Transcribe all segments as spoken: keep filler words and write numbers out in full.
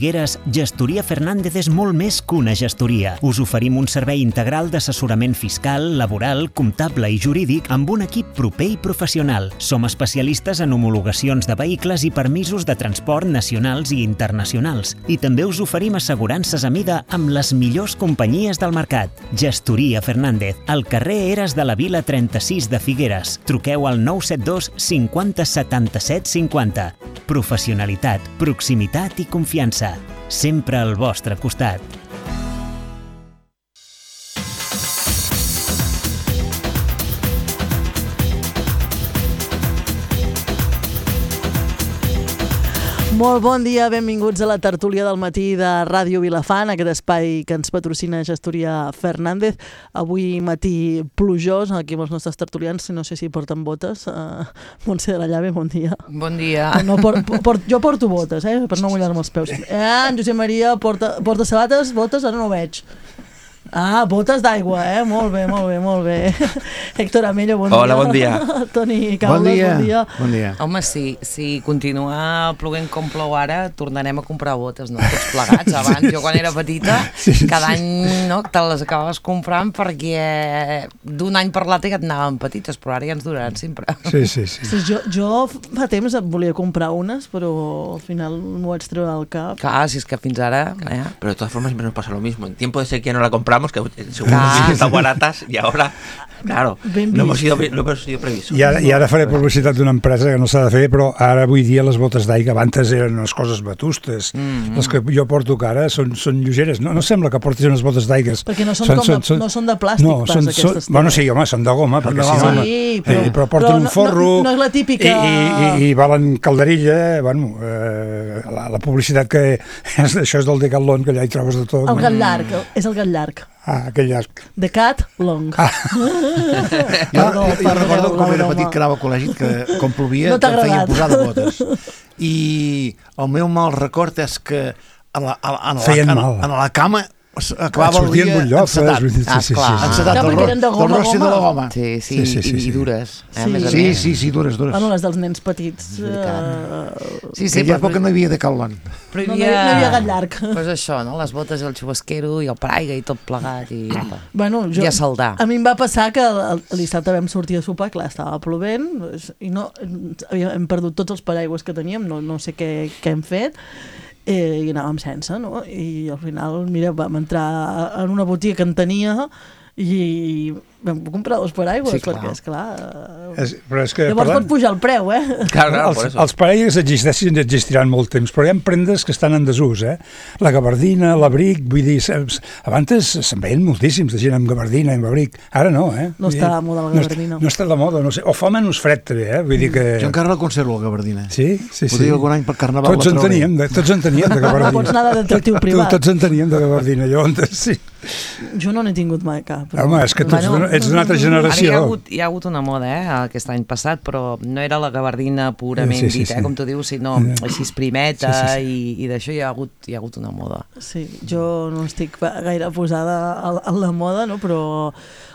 Figueres, Gestoria Fernández és molt més que una gestoria. Us oferim un servei integral d'assessorament fiscal, laboral, comptable i jurídic amb un equip proper i professional. Som especialistes en homologacions de vehicles i permisos de transport nacionals i internacionals. I també us oferim assegurances a mida amb les millors companyies del mercat. Gestoria Fernández, al carrer Eres de la Vila trenta-sis de Figueres. Truqueu al nou set dos cinquanta setanta-set cinquanta. Professionalitat, proximitat i confiança. Sempre al vostre costat. Molt bon dia, benvinguts a la tertúlia del matí de Ràdio Vilafant, aquest espai que ens patrocina Gestoria Fernández. Avui matí plujós, aquí amb els nostres tertulians, no sé si porten botes. Uh, Montse de la Llave, bon dia. Bon dia. No, por, por, jo porto botes, eh, per no mullar-me els peus. Eh, en Josep Maria porta, porta sabates, botes, ara no ho veig. Ah, botes d'aigua, eh? Molt bé, molt bé, molt bé. Héctor Amello, bon Hola, dia. bon dia. Toni Caules, bon dia. Bon dia. Bon dia. Home, si, si continua ploguent com plou ara, tornarem a comprar botes, no? Tots plegats. Abans, jo quan era petita, sí, sí, cada any no, te les acabaves comprant perquè d'un any per l'altre ja et anaven petites, però ara ja ens duraran sempre. Sí, sí, sí. sí jo, jo fa temps volia comprar unes, però al final m'ho vaig treure al cap. Clar, si és que fins ara... Eh? Pero de todas formas siempre nos pasa lo mismo. En tiempo de sequía no la compramos, que según ah. que están baratas, y ahora, claro, no hemos sido, no hemos sido previsos. I ara, I ara faré publicitat d'una empresa que no s'ha de fer, però ara avui dia les botes d'aigua, abans eren unes coses batustes. Mm-hmm. Les que jo porto que ara són, són lleugeres. No, no sembla que portis unes botes d'aigua. Perquè no són, són, com són, de, són, no són de plàstic, no, pas, són, aquestes. Són, bueno, sí, home, són de goma, perquè si no... Sí, però, eh, però porten però un forro... No, no és la típica... I, i, i valen calderilla, bueno, eh, la, la publicitat que... És, això és del Decathlon, que allà hi trobes de tot. El gat llarg, és el gat llarg. Ah, aquell llarg. The cat long. Ah. jo, jo, jo recordo com era petit que anava al col·legi, que com plovia no em feien posar de botes. I el meu mal record és que a la, a, a, la, a, a, a la cama acabava el dia encetat. Ah, sí, sí, sí. Encetat del, ro del rossi de la goma. Sí, sí, sí, sí, sí, i, i dures. Eh, sí. Sí, sí, sí, dures, dures. Bueno, les dels nens petits. Uh... Sí, sí, aquella època no hi havia Decathlon. Però hi havia... No, no, hi, no hi havia gat llarg. Pues això, no? Les botes, el xubasquero i el paraigua i tot plegat i, bueno, jo, i a saldar. A mi em va passar que el, el dissabte vam sortir a sopar, clar, estava plovent i no, hem perdut tots els paraigües que teníem, no, no sé què, què hem fet. Eh, i anàvem sense, no? I al final, mira, vam entrar en una botiga que en tenia i vam comprar dos paraigües, sí, perquè, esclar... És, però és que, llavors parlant... pot pujar el preu, eh? Clar, clar, els, els paraigües existeixen i existiran molt temps, però hi ha prendes que estan en desús, eh? La gabardina, l'abric, vull dir, abans se'n veien moltíssims de gent amb gabardina i amb abric, ara no, eh? No està de moda la gabardina. No, no està de moda, no sé, o fa menys fred també, eh? Vull dir que... Jo encara la conservo, la gabardina. Sí? Sí, sí. Podria algun any per carnaval tots en teníem, de, tots en teníem de gabardina. No pots anar de detectiu privat. Tots en teníem de gabardina, llavors, sí. Jo no n'he tingut mai cap. Però... Home, és que tu bueno, ets d'una altra generació. Ara hi ha, hagut, hi ha hagut una moda, eh, aquest any passat, però no era la gabardina purament sí, sí, dit, sí. eh, com tu dius, sinó així esprimeta sí, sí, sí. i, i d'això hi ha, hagut, hi ha hagut una moda. Sí, jo no estic gaire posada a, a la moda, no? Però,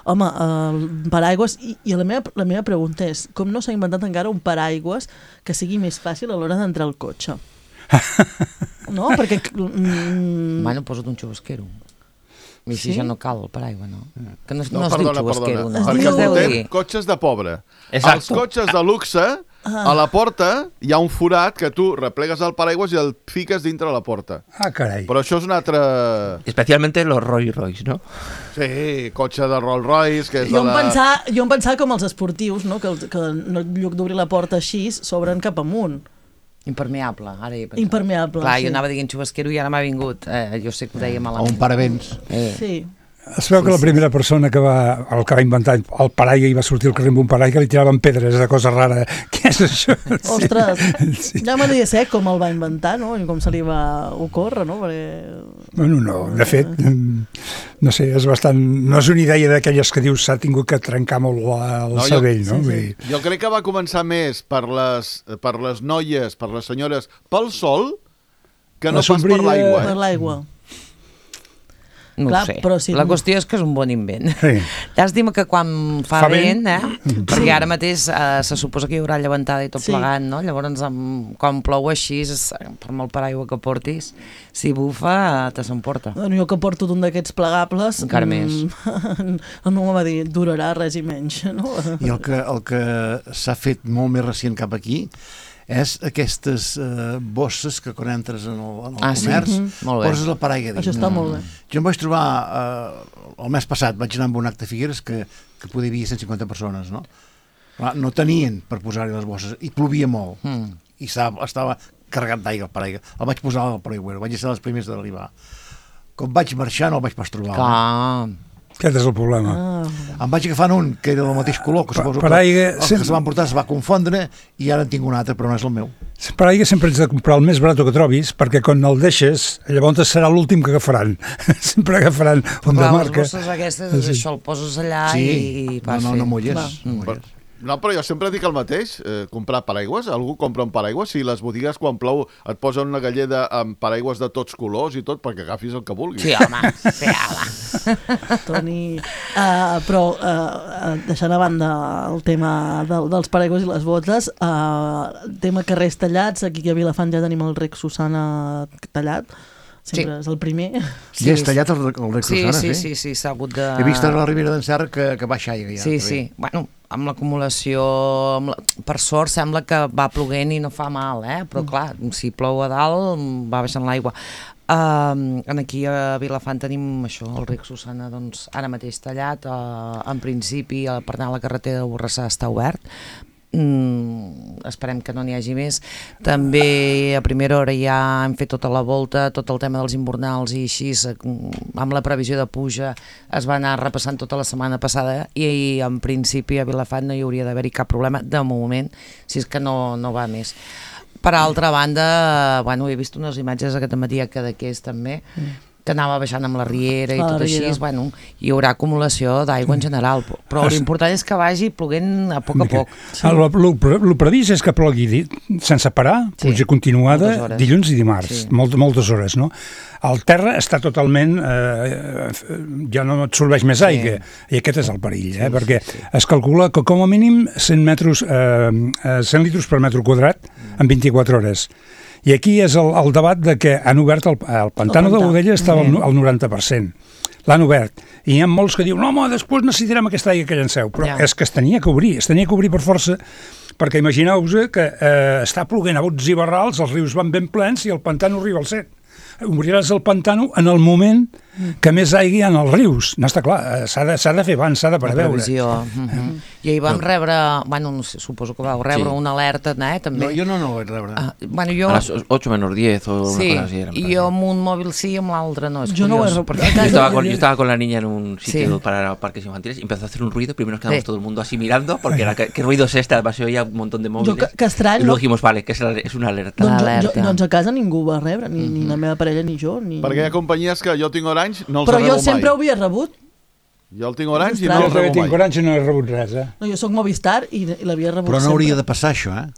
home, el paraigües, i, i la, meva, la meva pregunta és, com no s'ha inventat encara un paraigües que sigui més fàcil a l'hora d'entrar al cotxe? No? Perquè... Mm... Bueno, posa't un xubasquero. I si sí? ja no cal el paraigua, no? Que no, no, no es perdona, diu xubasquero, no? Perquè portem cotxes de pobre. Exacto. Els cotxes de luxe, a la porta hi ha un forat que tu replegues el paraigües i el fiques dintre la porta. Ah, carai. Però això és un altre... Especialmente los Rolls Royce, no? Sí, cotxe de Rolls Royce, que és jo de la... Em pensava, jo em pensava com els esportius, no? Que, que en lloc d'obrir la porta així, s'obren cap amunt. Impermeable, ara hi he pensat. Impermeable, clar, sí. jo anava dient xubasquero i ara m'ha vingut. Eh, jo sé que ho deia malament. O un paravents. Eh. Sí. Es veu que la primera persona que va, el que va inventar el paraigua i va sortir al carrer amb un paraigua li tiraven pedres de cosa rara. Què és això? Ostres, sí. Ja m'agradaria saber com el va inventar, no? I com se li va ocórrer, no? Perquè... Bueno, no, de fet, no sé, és bastant... No és una idea d'aquelles que dius s'ha tingut que trencar molt la, el no, cervell, jo, no? Sí, sí. Jo crec que va començar més per les, per les noies, per les senyores, pel sol, que no pas per l'aigua. Per l'aigua. No Clar, ho sé. però si- La qüestió és que és un bon invent. Sí. Llàstima que quan fa, Fa vent, vent. eh? Perquè ara mateix eh, se suposa que hi haurà llevantada i tot Sí. plegat, no? Llavors, amb, quan plou així, és, per molt paraigua que portis, si bufa, te s'emporta. Bueno, jo que porto d'un d'aquests plegables... Encara més. mm, No m'ho va dir, durarà res i menys, no? I el que, el que s'ha fet molt més recient cap aquí és aquestes eh, bosses que quan entres en el, en el Ah, sí? comerç Mhm. Molt bé. poses la paraigua dins. Això està molt bé. Jo em vaig trobar eh, el mes passat, vaig anar amb un acte a Figueres que, que podia haver cent cinquanta persones, no? Clar, no tenien per posar-hi les bosses i plovia molt Mm. i estava, estava carregat d'aigua el paraigua. El vaig posar al paraigüero, vaig ser dels primers d'arribar. Com vaig marxar no el vaig pas trobar. Clar. Aquest és el problema. Ah, Em vaig agafant un que era del mateix color, que suposo que paraigua, el que sempre- se van portar es va confondre i ara en tinc un altre, però no és el meu. Per aigua sempre ets de comprar el més barat que trobis, perquè quan el deixes, llavors serà l'últim que agafaran. Sempre agafaran un de Clar, les marca. bosses aquestes, és Sí. això, el poses allà Sí, i no, vas no, fer. no mulles. Va. No mulles. No, però jo sempre dic el mateix, eh, comprar paraigües. Algú compra un paraigües? Si les botigues quan plou et posen una galleda amb paraigües de tots colors i tot perquè agafis el que vulguis. Sí, home, sí, home. Toni... Uh, però, uh, deixant a banda el tema del, dels paraigües i les botes, uh, el tema carrers tallats, aquí a Vilafant ja tenim el rec Susana tallat, sempre Sí. és el primer. Sí, ja és tallat el, el rec Sí, Susana, sí, sí, sí, s'ha hagut de... He vist a la Ribera d'en Serra que, que baixa aigua ja. Sí, també. sí. Bueno, amb l'acumulació, amb la... per sort sembla que va ploguent i no fa mal, eh? Però clar, si plou a dalt va baixant l'aigua. Uh, aquí a Vilafant tenim això, el ric Susana, doncs, ara mateix tallat, uh, en principi uh, per anar a la carretera de Borrassà està obert. Mm, esperem que no n'hi hagi més. També a primera hora ja hem fet tota la volta, tot el tema dels invernals i així, amb la previsió de puja es va anar repassant tota la setmana passada i, i en principi a Vilafant no hi hauria d'haver-hi cap problema de moment, si és que no, no va més. Per altra banda, bueno, he vist unes imatges aquest matí a Cadaqués també, que anava baixant amb la riera i Ah, tot la així, riera. bueno, hi haurà acumulació d'aigua en general, però l'important és que vagi ploguent a poc a poc. El, el, el previst és que plogui di- sense parar, Sí, pluja continuada, moltes hores. dilluns i dimarts, Sí. molt, moltes hores, no? El terra està totalment... Eh, ja no absorbeix més Sí. aigua, i aquest és el perill, eh? Perquè es calcula que com a mínim cent metres, eh, eh, cent litres per metre quadrat en vint-i-quatre hores. I aquí és el, el debat de que han obert el, el pantano El de pantà. Godella estava al Mm. no- al noranta per cent. L'han obert. I hi ha molts que diuen, no, home, després necessitarem aquesta aigua que llanceu. Però Ja. és que es tenia que obrir, es tenia que obrir per força, perquè imagineu-vos que eh, està ploguent a bots i barrals, els rius van ben plens i el pantano arriba al set. Obriràs el pantano en el moment que més aigua hi ha en els rius. No està clar, eh, s'ha de, s'ha de fer abans, s'ha de La preveure. previsió. Mm-hmm. I ahir vam rebre, bueno, no sé, suposo que vau rebre Sí. una alerta, eh, també. No, jo no, no ho vaig rebre. Ah, bueno, jo... A las ocho menos diez o una Sí, cosa así. era, en i plan. jo amb un mòbil sí i amb l'altre no. És Jo no ho he curiós, rebut. perquè- Yo estaba, con, yo estaba con la niña en un sitio Sí. para parques infantiles y empezó a hacer un ruido. Primero nos quedamos Sí. todo el mundo así mirando, porque era, ¿qué, qué ruido es este? Además se oía un montón de móviles. Jo, que, que estrany, y luego no? dijimos, vale, que es, la- es una alerta. Doncs, jo, jo, Alerta. doncs a casa ningú ho va rebre, ni, ni la meva parella ni jo. Ni... Perquè hi ha companyies que jo tinc Orange, no els Però rebo jo sempre ho mai. havia rebut. Jo el tinc Orange i Jo no Jo el també rebo tinc mai. Orange i no he rebut res, eh? No, jo sóc Movistar i, i l'havia rebut Però no sempre. hauria de passar això, eh?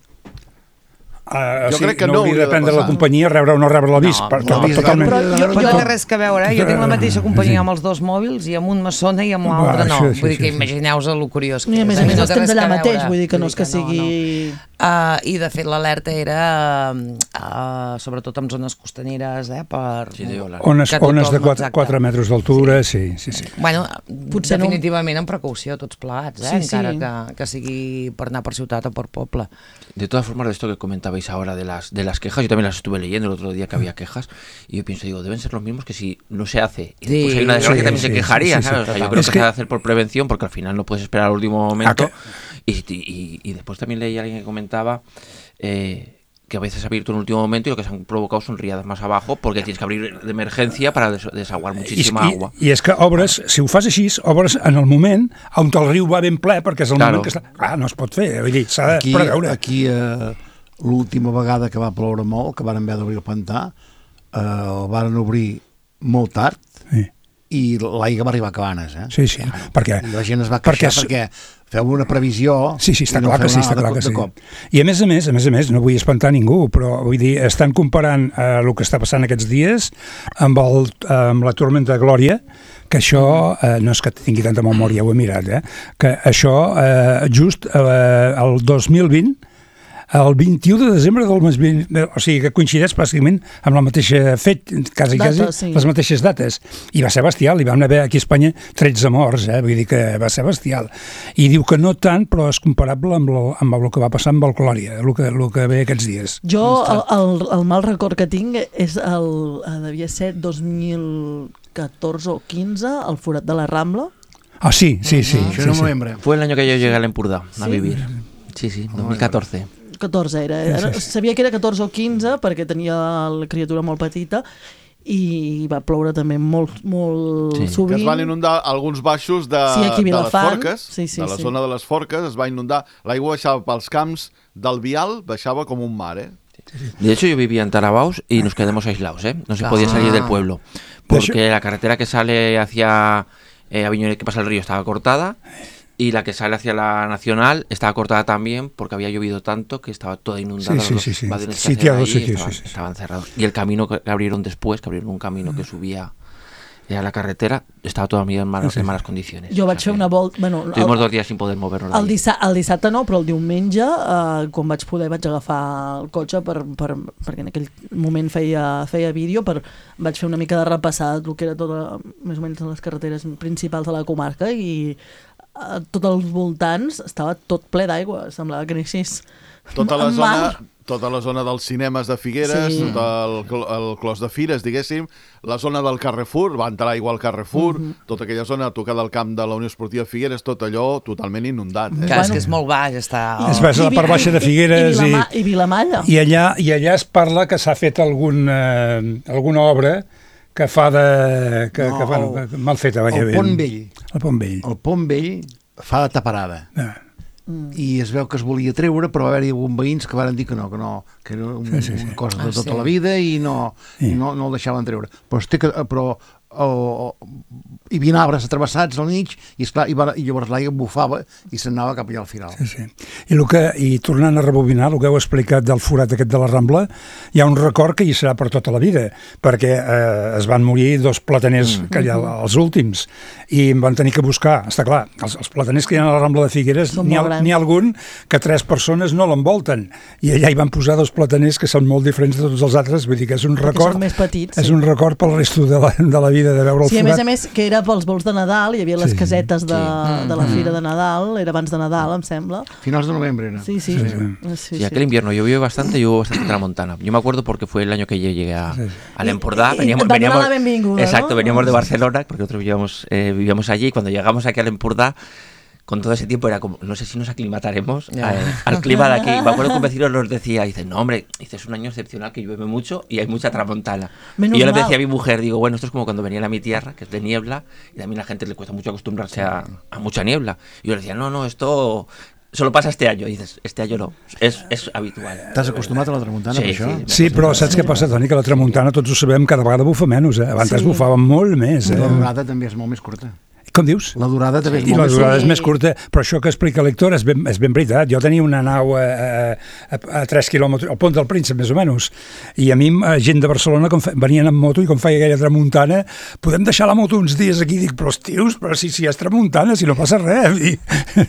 Uh, Jo sí, crec que no no hauria hauria de de prendre la passar. companyia rebre o no rebre l'avís. No, per, no, per, totalment. Però jo- Jo jo- no té res que veure, eh? Jo tinc la mateixa companyia amb els dos mòbils i amb un me sona i amb l'altre no. Va, sí, sí, Vull dir que sí, sí. imagineu-vos el curiós que I a més és. a més No els té tens res allà que mateix, veure. vull dir que no és que no, no. sigui... Uh, I de fet l'alerta era uh, sobretot en zones costaneres, eh? Per, Sí, diu, la- Ones, que tothom- ones de exacte. quatre metres d'altura, sí, sí, sí. Bueno, Potser no- definitivament amb precaució, tots plegats, eh? Sí, sí. Encara que, que sigui per anar per ciutat o per poble. De todas formas, de esto que comentabais ahora de las de las quejas, yo también las estuve leyendo el otro día que había quejas y yo pienso, digo, deben ser los mismos que si no se hace y después Sí, hay una desgracia sí, que también sí, se quejaría, sí, sí, ¿sabes? sí, O sea, yo total. creo Es que, que- se ha de hacer por prevención porque al final no puedes esperar al último momento Ah, y, y, y después también leí a alguien que comentaba eh, que a veces ha abierto en el último momento y lo que se han provocado son riadas más abajo porque tienes que abrir de emergencia para des desaguar muchísima I, agua. I és que obres, si ho fas així, obres en el moment on el riu va ben ple, perquè és el Claro. moment que està... Clar, no es pot fer, vull dir, s'ha de Aquí, preveure. aquí eh, l'última vegada que va ploure molt, que varen haver d'obrir el pantà, eh, el varen obrir molt tard Sí. i l'aigua va arribar a cabanes, eh? Sí, sí, perquè... I la gent es va perquè queixar és- perquè, feu una previsió... Sí, sí, està no clar que sí, està clar que sí. I a més a més, a més a més, no vull espantar ningú, però vull dir, estan comparant eh, el que està passant aquests dies amb, el, amb la tormenta Glòria, que això, eh, no és que tingui tanta memòria, ho he mirat, eh, que això eh, just eh, el dos mil vint, el vint-i-u de desembre del mes vint, o sigui que coincideix pràcticament amb la mateixa fet, quasi, quasi, Data, sí. les mateixes dates. I va ser bestial, hi vam haver aquí a Espanya tretze morts, eh? Vull dir que va ser bestial. I diu que no tant, però és comparable amb, lo, amb el que va passar amb el Glòria, el que, el que ve aquests dies. Jo, el, el, el mal record que tinc és el, devia ser dos mil catorze o quinze, el forat de la Rambla. Ah, sí, sí, sí. Això sí, era sí. novembre. Fue el año que yo llegué a l'Empordà a ¿Sí? vivir. Sí, sí, dos mil catorce. catorze era, era, sabia que era catorze o quinze perquè tenia la criatura molt petita i va ploure també molt, molt Sí. sovint. Que es van inundar alguns baixos de, Sí, aquí a de les Vilafant. Forques, Sí, sí, de la sí. zona de les Forques, es va inundar, l'aigua baixava pels camps del Vial, baixaba com un mar, eh? De hecho, yo vivía en Tarabaus y nos quedamos aislados, ¿eh? No se Ah. podía salir del pueblo. Porque la carretera que sale hacia eh, Aviñón, que pasa el río, estaba cortada. Y la que sale hacia la Nacional estaba cortada también porque había llovido tanto que estaba toda inundada. Sí, sí, los sí, sí. vagones que Sitiados, hacían sí, allí sí, estaban, sí, sí. estaban cerrados. Y el camino que abrieron después, que abrieron un camino que subía a la carretera, estaba todavía en malas, en malas condiciones. Jo O sea vaig fer que una volta... Bueno, Tuvimos el, dos días sin poder movernos. de el, allí. dissa, el dissabte no, però el diumenge, eh, quan vaig poder, vaig agafar el cotxe per, per, perquè en aquell moment feia, feia vídeo, per, vaig fer una mica de repassar el que era tota, més o menys les carreteres principals de la comarca i a tots els voltants estava tot ple d'aigua, semblava que anessis Tota la al zona... mar. Tota la zona dels cinemes de Figueres, Sí. tot el, cl- el clos de Fires, diguéssim, la zona del Carrefour, va entrar aigua al Carrefour, Mhm. tota aquella zona a tocar del camp de la Unió Esportiva Figueres, tot allò totalment inundat. Eh? Clar, és que és molt baix, està... Es va a la part baixa de Figueres i, i, i, Vilama, i Vilamalla. i, allà, i allà es parla que s'ha fet algun, eh, alguna obra que fa de... Que, No, que fa, el- que, mal feta, vaja, El Pont Vell. El Pont Vell. El Pont Vell fa de taparada. Ah. I es veu que es volia treure, però va haver-hi alguns veïns que van dir que no, que no, que era un, Sí, sí, sí. una cosa de Ah, tota sí. la vida i no, Sí. i no, no el deixaven treure. Però, es té que, però o, hi havia arbres atravessats al mig i, esclar, i, va, i llavors l'aigua bufava i s'anava cap allà al final. Sí, sí. I, el que, I tornant a rebobinar, el que heu explicat del forat aquest de la Rambla, hi ha un record que hi serà per tota la vida, perquè eh, es van morir dos plataners, mm. que hi ha els últims, i em van tenir que buscar, està clar, els, els plataners que hi ha a la Rambla de Figueres, Són n'hi ha, molt grans. n'hi ha algun que tres persones no l'envolten, i allà hi van posar dos plataners que són molt diferents de tots els altres, vull dir que és un Perquè record, són més petits, és sí. un record pel resto de la, de la vida de veure el Sí, a forat. més a més, que era pels vols de Nadal, hi havia les Sí, casetes de, sí. de la Fira de Nadal, era abans de Nadal, em sembla. Finals de novembre era. Sí, sí. Sí, sí, sí. sí, Sí, aquel invierno llovió bastante y hubo bastante tramontana. Yo me acuerdo porque fue el año que yo llegué a, Sí, sí. al Empordà. Y- y va a donar la benvinguda, exacto, ¿no? veníamos de Barcelona, porque nosotros vivíamos, eh, vivíamos allí, y cuando llegamos aquí al Empordà, con todo ese tiempo era como, no sé si nos aclimataremos Ya. eh, al clima de aquí. Me acuerdo que un vecino nos decía, dice, no hombre, dice, es un año excepcional que llueve mucho y hay mucha tramontana. Menos y yo le mal. decía a mi mujer, digo, bueno, esto es como cuando venía a mi tierra, que es de niebla, y también a la gente le cuesta mucho acostumbrarse a, a mucha niebla. Y yo le decía, no, no, esto solo pasa este año. Y dices, este año no, es, es habitual. T'has acostumat a la tramuntana, Sí, per això? sí. Sí, però saps què passa, Toni? Que la tramuntana, tots ho sabem, cada vegada bufa menys, eh? Abans Sí. bufava molt més, eh? La durada també és molt més curta. Com dius? La durada també és I molt la més durada Sí. és més curta, però això que explica l'Héctor és ben, és ben veritat. Jo tenia una nau a, a, a tres quilòmetres, al Pont del Príncep, més o menys, i a mi, eh, gent de Barcelona, com fe, venien amb moto i com feia aquella tramuntana, podem deixar la moto uns dies aquí? Dic, però tios, però si, si és tramuntana, si no passa res. I,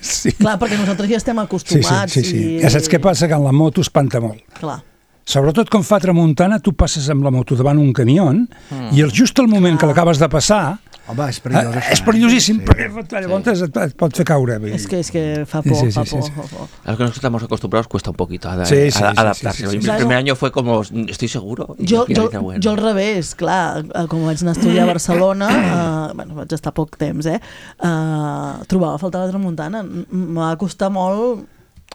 sí. Clar, perquè nosaltres ja estem Sí, sí, acostumats. sí, sí. I... Ja saps què passa? Que en la moto espanta molt. Clar. Sobretot quan fa tramuntana, tu passes amb la moto davant un camió mm. i el, just al moment que l'acabes de passar, Home, és perillós, eh, això. és perillosíssim, Sí. perquè llavors et, et pot fer caure. vull És dir. que, és que fa por, Sí, sí, fa sí, por, sí. fa por. A los que nosotros estamos acostumbrados cuesta un poquito a, Sí, sí, a- sí, adaptarse. sí, sí, sí. El primer año fue como, estoy seguro. Y Jo, al final jo, dices, bueno. jo al revés, clar, eh, com vaig anar a estudiar a Barcelona, eh, bueno, vaig estar poc temps, eh, eh trobava a faltar la tramuntana. M- M'ha costat molt,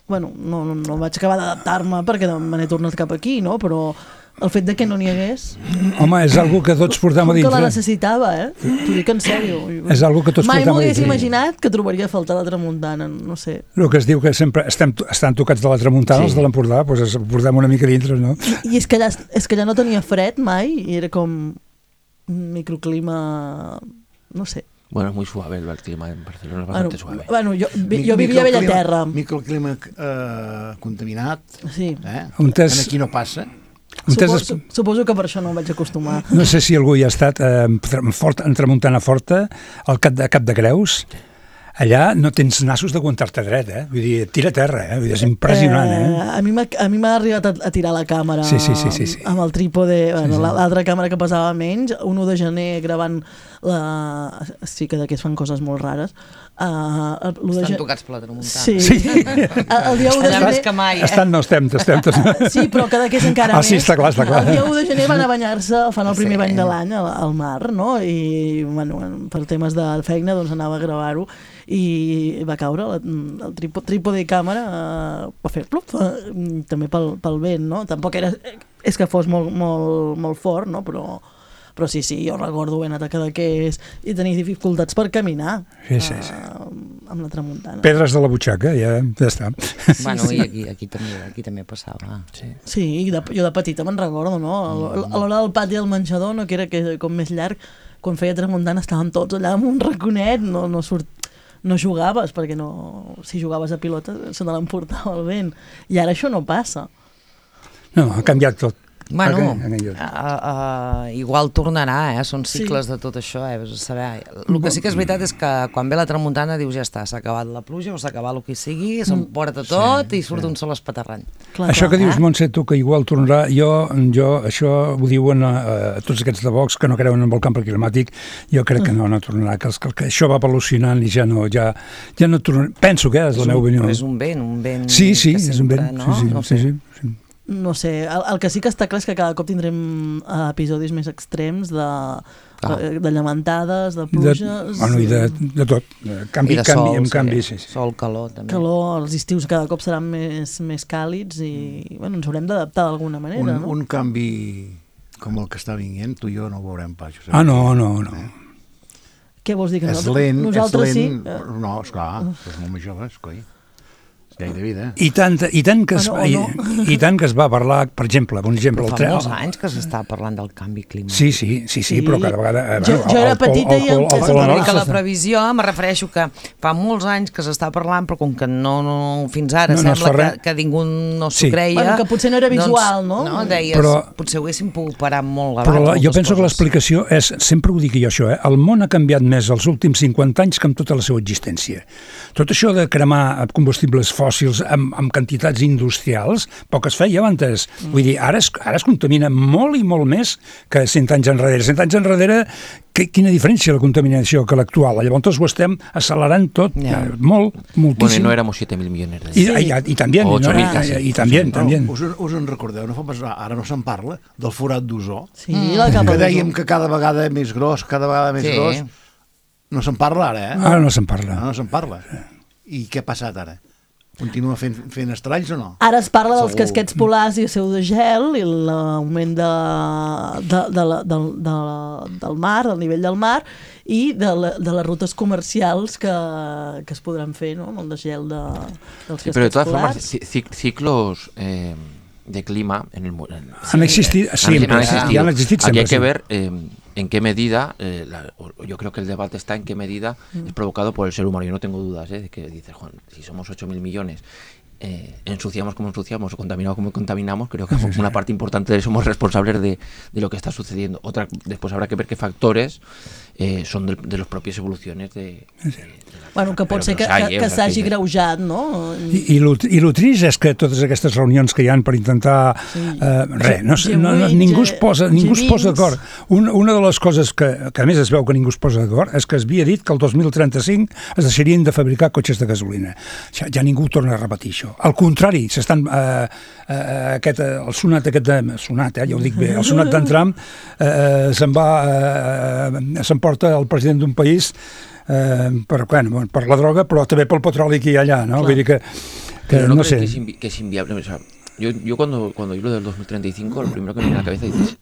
bueno, no, no, no vaig acabar d'adaptar-me perquè me n'he tornat cap aquí, no? Però el fet de que no n'hi hagués, Home, és algo que tots portem a com que la dintre. necessitava, eh? T'ho dic en sèrio. És algo que tots Mai portem a m'hagués dintre. imaginat que trobaria a faltar la tramuntana, no sé. El que es diu que sempre estem, estan tocats de la tramuntana, Sí. els de l'Empordà, doncs es portem una mica dintre, no? I és que allà, és que allà no tenia fred mai i era com un microclima, no sé. Bueno, es muy suave el clima en Barcelona, es bastante bueno, suave. Bueno, jo, jo vivia a Bellaterra. Microclima eh, contaminat. Sí. Eh? Tes... Aquí no passa. Suposo, suposo que per això no em vaig acostumar. No sé si algú hi ha estat eh, fort, en Tramuntana Forta, al Cap de, Cap de Creus. Allà no tens nassos d'aguantar-te dret, eh? Vull dir, tira a terra, eh? Vull dir, és impressionant, eh? eh a mi m'ha arribat a, a tirar la càmera sí, sí, sí, sí, sí. amb el trípode, bueno, sí, sí. l'altra càmera que pesava menys, un u de gener gravant la... Sí que d'aquí es fan coses molt rares. Uh, Estan gen... tocats per la tramuntana. Sí. sí. El dia u de gener... Que mai, eh? Estan, no, estem, estem. Sí, però que d'aquí és encara ah, sí, més. Està clar, està clar. El dia u de gener van a banyar-se, fan el primer sí. bany de l'any al, al mar, no? I, bueno, per temes de feina, doncs anava a gravar-ho i va caure el trípode i càmera uh, va fer plup, uh, també pel, pel vent, no? Tampoc era, és que fos molt, molt, molt fort, no? Però, però sí, sí, jo recordo ben atacar d'aquests i tenir dificultats per caminar sí, sí, sí. Uh, amb la tramuntana. Pedres de la butxaca, ja, ja està. Bueno, i aquí, aquí, també, aquí també passava. Sí, sí de, jo de petita me'n recordo, no? A l'hora del pati del menjador, no? Que era que, com més llarg, quan feia tramuntana estàvem tots allà amb un raconet, no, no surt no jugaves, perquè no, si jugaves a pilota se te l'emportava el vent. I ara això no passa. No, ha canviat tot. Bueno, uh, uh, igual tornarà, eh? Són cicles sí. de tot això, eh? Ves a saber. El que sí que és veritat és que quan ve la tramuntana dius ja està, s'ha acabat la pluja o s'ha acabat el que sigui, s'emporta tot sí, i surt sí. un sol espaterrany. Clar, això clar, que dius, eh? Montse, tu, que igual tornarà, jo, jo això ho diuen a, a tots aquests de Vox que no creuen en el canvi climàtic, jo crec que no, no tornarà, que, que, que això va evolucionant i ja no, ja, ja no tornarà. Penso que és, és la meva opinió. És un vent, un vent sí, sí, que és un vent, no? sí, sí, no sí, sí, sí. No sé, el, el que sí que està clar és que cada cop tindrem uh, episodis més extrems de, ah. de, de llamentades, de pluges... De, bueno, i de, de tot. Canvi, I de canvi, sol, canvi, sí. sí, sí. Sol, calor, també. Calor, els estius cada cop seran més, més càlids i bueno, ens haurem d'adaptar d'alguna manera, un, no? Un canvi com el que està vinguent, tu i jo no ho veurem pas. Ah, no, no, no. Eh? Què vols dir? Que és nosaltres, lent, nosaltres és lent. Sí? No, esclar, és molt més joves, coi. Llei de vida. I tant, i tant que es, ah, no, no. i, i tant que es va parlar, per exemple, un exemple... Però fa el molts anys que s'està parlant del canvi climàtic. Sí, sí, sí, sí, sí. Però cada vegada... Eh, jo, jo era petita i... És que la previsió, me refereixo que fa molts anys que s'està parlant, però com que no, no fins ara no, no sembla que, que ningú no s'ho sí. creia... Bueno, que potser no era visual, doncs, no? No, deies, però, potser ho haguéssim pogut parar molt abans. Però la, jo penso coses. que l'explicació és, sempre ho dic jo això, eh, el món ha canviat més els últims cinquanta anys que amb tota la seva existència. Tot això de cremar combustibles fòssils amb, amb quantitats industrials, poc es feia abans. Mm. Vull dir, ara es, ara es contamina molt i molt més que cent anys enrere. Cent anys enrere, que, quina diferència la contaminació que l'actual? Llavors ho estem accelerant tot, yeah. molt, moltíssim. Bueno, no éramos siete mil millones de... I, i, i, i també, o ocho mil no? casi. I, i també, no, també. Us, us en recordeu? No fa pas, ara no se'n parla del forat d'ozó. Sí, la capa que dèiem que cada vegada més gros, cada vegada més sí. gros. No se'n parla ara, eh? Ara no se'n parla. No, no se'n parla. I què ha passat ara? Continua fent, fent estralls o no? Ara es parla dels casquets polars i el seu de gel i l'augment de, de, de, de, de, de, del mar, del nivell del mar i de, la, de les rutes comercials que, que es podran fer, no? Amb el de gel de, dels sí, casquets polars. Però de totes formes, ciclos eh, de clima en el mundo... Han existit siempre, han existido. Han existit Aquí siempre, hay que sí. ver eh, en qué medida, eh, la, yo creo que el debate está en qué medida mm. es provocado por el ser humano. Yo no tengo dudas eh, de que dices, Juan, si somos ocho mil millones, eh, ensuciamos como ensuciamos o contaminamos como contaminamos, creo que sí, sí. una parte importante de eso somos responsables de, de lo que está sucediendo. Otra, después habrá que ver qué factores eh, son de, de las propias evoluciones de... de, de Bueno, que pot ser que, que, que s'hagi greujat, no? I, i, lo, i lo trist és que totes aquestes reunions que hi han per intentar... Sí. Eh, res, no, no, no, ningú es posa, ningú es posa d'acord. Un, una de les coses que, que a més es veu que ningú es posa d'acord és que es havia dit que el dos mil trenta-cinc es deixarien de fabricar cotxes de gasolina. Ja, ja ningú torna a repetir això. Al contrari, s'estan... Eh, eh, aquest, el sonat aquest de... Sonat, eh, ja ho dic bé. El sonat d'en Trump eh, se'n va... Eh, s'emporta el president d'un país Eh, per, bueno, per la droga, però també pel petroli que hi ha allà, ¿no? Vull dir que, que no, no sé. Que es, invi que es inviable. O sea, yo, yo cuando, cuando yo lo del dos mil treinta y cinco, lo primero que me viene a la cabeza dices,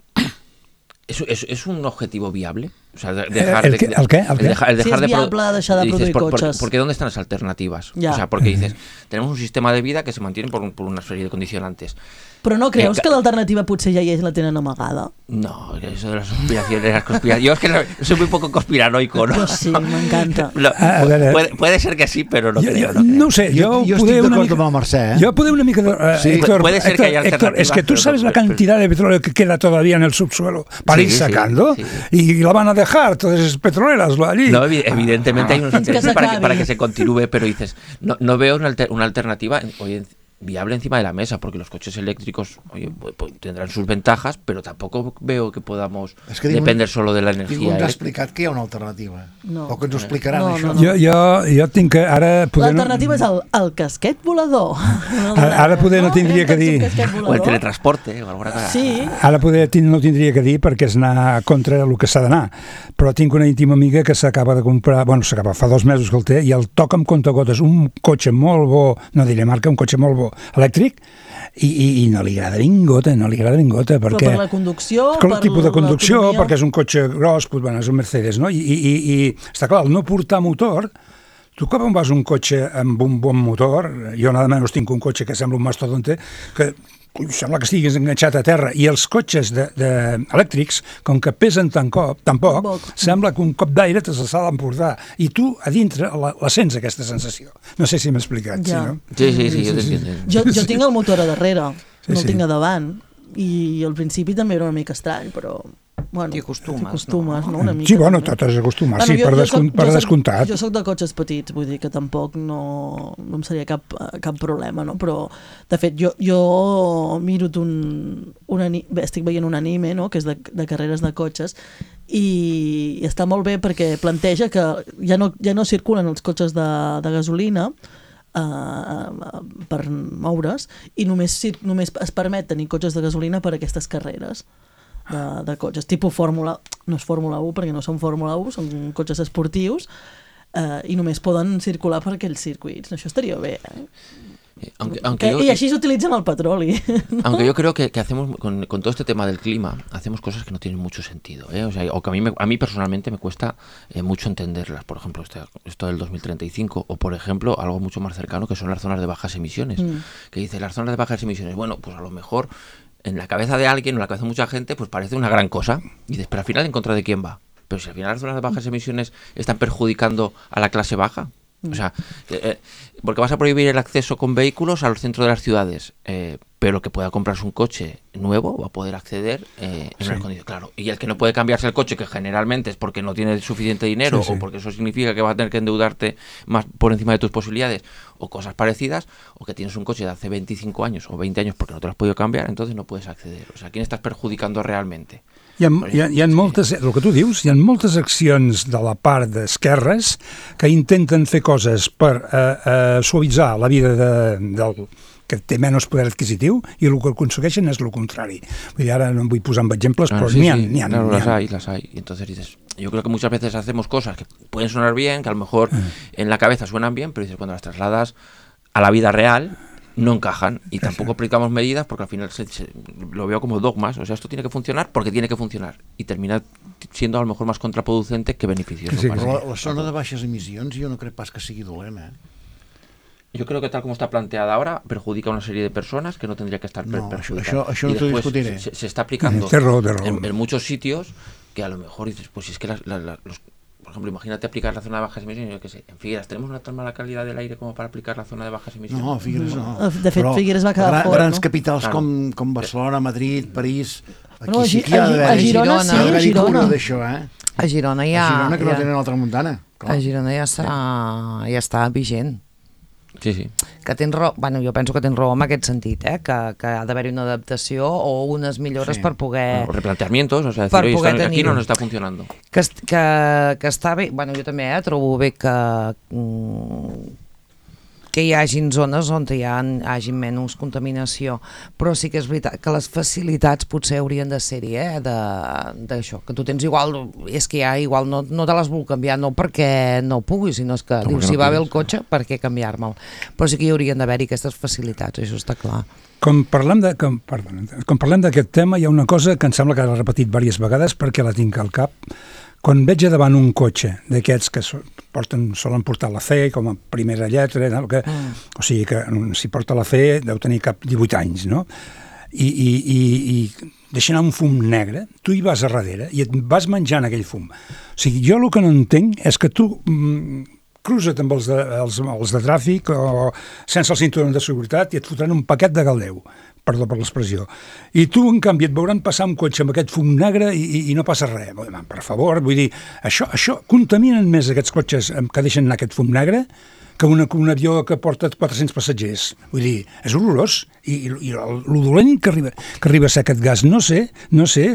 ¿es, es, ¿es un objetivo viable? O sea, de, dejar ¿El, qué, de, ¿El qué? ¿El qué? El dejar, el dejar si es de viable pro... deixar de dices, produir por, cotxes. Porque ¿dónde están las alternativas? Ya. O sea, porque dices, tenemos un sistema de vida que se mantiene por, un, por una serie de condicionantes. Però no creus Eh, que l'alternativa potser ja hi és i la tenen amagada? No, eso de las conspiraciones, las conspiraciones. Yo es que no, soy muy poco conspiranoico, ¿no? Yo sí, m'encanta. Lo, A veure, puede, puede ser que sí, pero no jo, creo. jo, No, creo. no ho sé, jo, Jo, jo poder estic una d'acord mica... amb el Mercè, eh? Yo puedo una mica... Uh, Sí, Héctor, puede ser que haya Héctor, Héctor, es que tú alternativas, sabes pero- la cantidad de petróleo que queda todavía en el subsuelo para Sí, ir sí, sacando sí. y la van a dejar todas esas petroleras allí. No, evi- evidentemente hay unos Fins que intereses para que, s'acabi. para que se continúe, pero dices, no, no veo una, alter- una alternativa en- hoy en- viable encima de la mesa, porque los coches eléctricos oye, pues, pues, tendrán sus ventajas, pero tampoco veo que podamos És que ningú- depender solo de la Ningú energía. ens ha elèctrica. explicat que hi ha una alternativa. No. O que ens ho explicaran, No, això. no, no. Jo, jo, jo tinc que ara... Poder L'alternativa és el, el casquet volador. Ara- ara poder no tindria que dir. Un casquet O el volador. teletransporte o alguna cosa. Sí, Ara poder tin- no tindria que dir perquè és anar contra el que s'ha d'anar, però tinc una íntima amiga que s'acaba de comprar, bueno, s'acaba, fa dos mesos que el té, i el toca amb comptagotes un cotxe molt bo, no diré marca, un cotxe molt bo, elèctric, i, i, i no li agrada ningota, no li agrada ningota, però perquè... per la conducció, per per el tipus de conducció, l'autonomia. perquè és un cotxe gros, pues, bueno, és un Mercedes, no? I, i, i, i està clar, el no portar motor, tu quan vas un cotxe amb un bon motor, jo nada menys tinc un cotxe que sembla un mastodonte, que ui, sembla que estiguis enganxat a terra, i els cotxes de, de, elèctrics, com que pesen tan, cop, tan poc, Poc. sembla que un cop d'aire te s'ha d'emportar, i tu a dintre la, la sents aquesta sensació. No sé si m'he explicat, Ja. sí, no? Sí, sí, sí, yo te entiendo. Jo, jo tinc el motor a darrere, Sí, no sí. el tinc a davant, i al principi també era una mica estrany, però... Bueno, T'hi acostumes, t'acostumes, no? no? Una mica, Sí, bueno, també. tot és acostumar, Bueno, sí, jo- per, jo descont, soc- per jo soc- descomptat. Jo sóc de cotxes petits, vull dir que tampoc no, no em seria cap, cap problema, no? Però, de fet, jo, jo miro un, un ani- bé, estic veient un anime, no?, que és de, de carreres de cotxes, i, i està molt bé perquè planteja que ja no, ja no circulen els cotxes de, de gasolina, Uh, per moure's, i només, cir- només es permet tenir cotxes de gasolina per a aquestes carreres de, de cotxes, tipus Fórmula, no és Fórmula u perquè no són Fórmula u, són cotxes esportius, uh, i només poden circular per aquells circuits. Això estaria bé, eh? Aunque, aunque Que, yo, I així s'utilitzen el petroli. Aunque yo creo que, que hacemos, con, con todo este tema del clima, hacemos cosas que no tienen mucho sentido, ¿eh? O sea, o que a mí, me- a mí personalmente me cuesta eh, mucho entenderlas. Por ejemplo, este- esto del dos mil treinta y cinco, o por ejemplo, algo mucho más cercano que son las zonas de bajas emisiones. Mm. Que dice, las zonas de bajas emisiones, bueno, pues a lo mejor en la cabeza de alguien o en la cabeza de mucha gente, pues parece una gran cosa. Y dices, pero al final, ¿en contra de quién va? Pero si al final las zonas de bajas emisiones están perjudicando a la clase baja. O sea, eh, eh, porque vas a prohibir el acceso con vehículos a los centros de las ciudades, eh, pero el que pueda comprarse un coche nuevo va a poder acceder eh, en unas condiciones, claro. Y el que no puede cambiarse el coche, que generalmente es porque no tiene suficiente dinero, Sí, sí. o porque eso significa que vas a tener que endeudarte más por encima de tus posibilidades, o cosas parecidas, o que tienes un coche de hace veinticinco años o veinte años porque no te lo has podido cambiar, entonces no puedes acceder. O sea, ¿a quién estás perjudicando realmente? Hi ha, hi, ha, hi ha moltes, el que tu dius, hi ha moltes accions de la part d'esquerres que intenten fer coses per eh, eh, suavitzar la vida de, del que té menys poder adquisitiu, i el que aconsegueixen és el contrari. Vull dir, ara no em vull posar amb exemples, Claro, però sí, n'hi ha, sí, n'hi ha, claro, n'hi las ha. hay, las hay. Y entonces dices, yo creo que muchas veces hacemos cosas que pueden sonar bien, que a lo mejor en la cabeza suenan bien, pero dices, cuando las trasladas a la vida real, no encajan. Y tampoco aplicamos medidas porque al final se, se- lo veo como dogmas. O sea, esto tiene que funcionar porque tiene que funcionar. Y termina siendo a lo mejor más contraproducente que beneficioso. Sí, para Però mí. la, la zona de baixes emissions jo no crec pas que sigui dolent, eh? Yo creo que tal como está planteada ahora, perjudica a una serie de personas que no tendría que estar per- No, això- perjudicadas. això- això no Y t'ho después discutiré. Se, se está aplicando Té raó, té raó. en, en muchos sitios que a lo mejor dices, pues si es que las, la- la- los, por ejemplo, imagínate aplicar la zona de bajas emisiones, yo qué sé, en Figueras, ¿tenemos una tan mala calidad del aire como para aplicar la zona de bajas emisiones? No, Figueres no. De fet, Però Figueres va quedar gran, fora, grans no? capitals Claro. com, com Barcelona, Madrid, París... Aquí No, a sí Gi- que hi ha a Gi- a d'haver-hi Girona sí, ha a d'haver-hi Girona. cura d'això, eh? A Girona ja... A Girona que no ja, tenen altra muntana. a Girona ja està, ja està vigent. Sí, sí. Que tens raó, bueno, jo penso que tens raó en aquest sentit, eh? que, que ha d'haver-hi una adaptació o unes millores Sí. per poder... Bueno, replanteamientos, o sea, decir, per oye, poder esto aquí tenir-ho. no nos está funcionando. Que, est- que, que està bé, bueno, jo també eh, trobo bé que, mm, que hi hagin zones on hi ha, hagi menys contaminació, però sí que és veritat que les facilitats potser haurien de ser-hi, eh, de- d'això, que tu tens igual, és que ja igual no, no te les vull canviar, no perquè no pugui, sinó és que No, dius, perquè si no va bé el puguis. cotxe, per què canviar-me'l? Però sí que hi haurien d'haver-hi aquestes facilitats, això està clar. Com parlem de, com, perdó, com parlem d'aquest tema, hi ha una cosa que em sembla que l'he repetit diverses vegades perquè la tinc al cap. quan veig a davant un cotxe d'aquests que porten, solen portar la C com a primera lletra, no? que, mm. o sigui que si porta la C deu tenir cap divuit anys, no? I, i, i, i deixa anar un fum negre, tu hi vas a darrere i et vas menjant aquell fum. O sigui, jo el que no entenc és que tu mm, cruza't amb els de, els, els de tràfic o sense el cinturó de seguretat i et fotran un paquet de galdeu, perdó per l'expressió. I tu, en canvi, et veuran passar un cotxe amb aquest fum negre i, i, i no passa res. Per favor, vull dir, això, això contaminen més aquests cotxes que deixen anar aquest fum negre que una, un avió que porta quatre-cents passatgers. Vull dir, és horrorós. I, i, i el, el dolent que arriba, que arriba a ser aquest gas, no sé, no sé,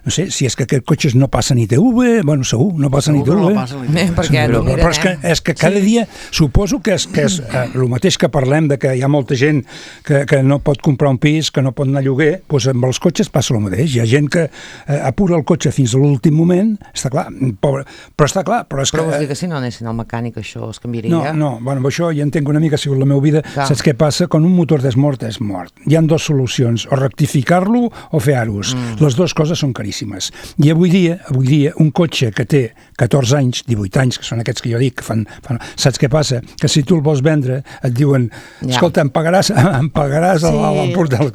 no sé si és que aquests cotxes no passen I T V, bueno, segur, no passen I T V. No passa I T V. Eh, perquè però, no però és que, és que cada dia, suposo que és, que és eh, el mateix que parlem de que hi ha molta gent que, que no pot comprar un pis, que no pot anar a lloguer, doncs amb els cotxes passa el mateix. Hi ha gent que eh, apura el cotxe fins a l'últim moment, està clar, pobre, però està clar. Però, és però que, vols dir que si no anessin al mecànic això es canviaria? No, no, bueno, això ja entenc una mica, ha sigut la meva vida. Clar. Saps què passa? Quan un motor és mort, és mort. Hi ha dues solucions, o rectificar-lo o fer aros. Mm. Les dues coses són caríssimes. I avui dia, avui dia, un cotxe que té catorze anys, divuit anys, que són aquests que jo dic, que fan, fan, saps què passa? Que si tu el vols vendre, et diuen, ja. escolta, em pagaràs, em pagaràs sí. el, el portal.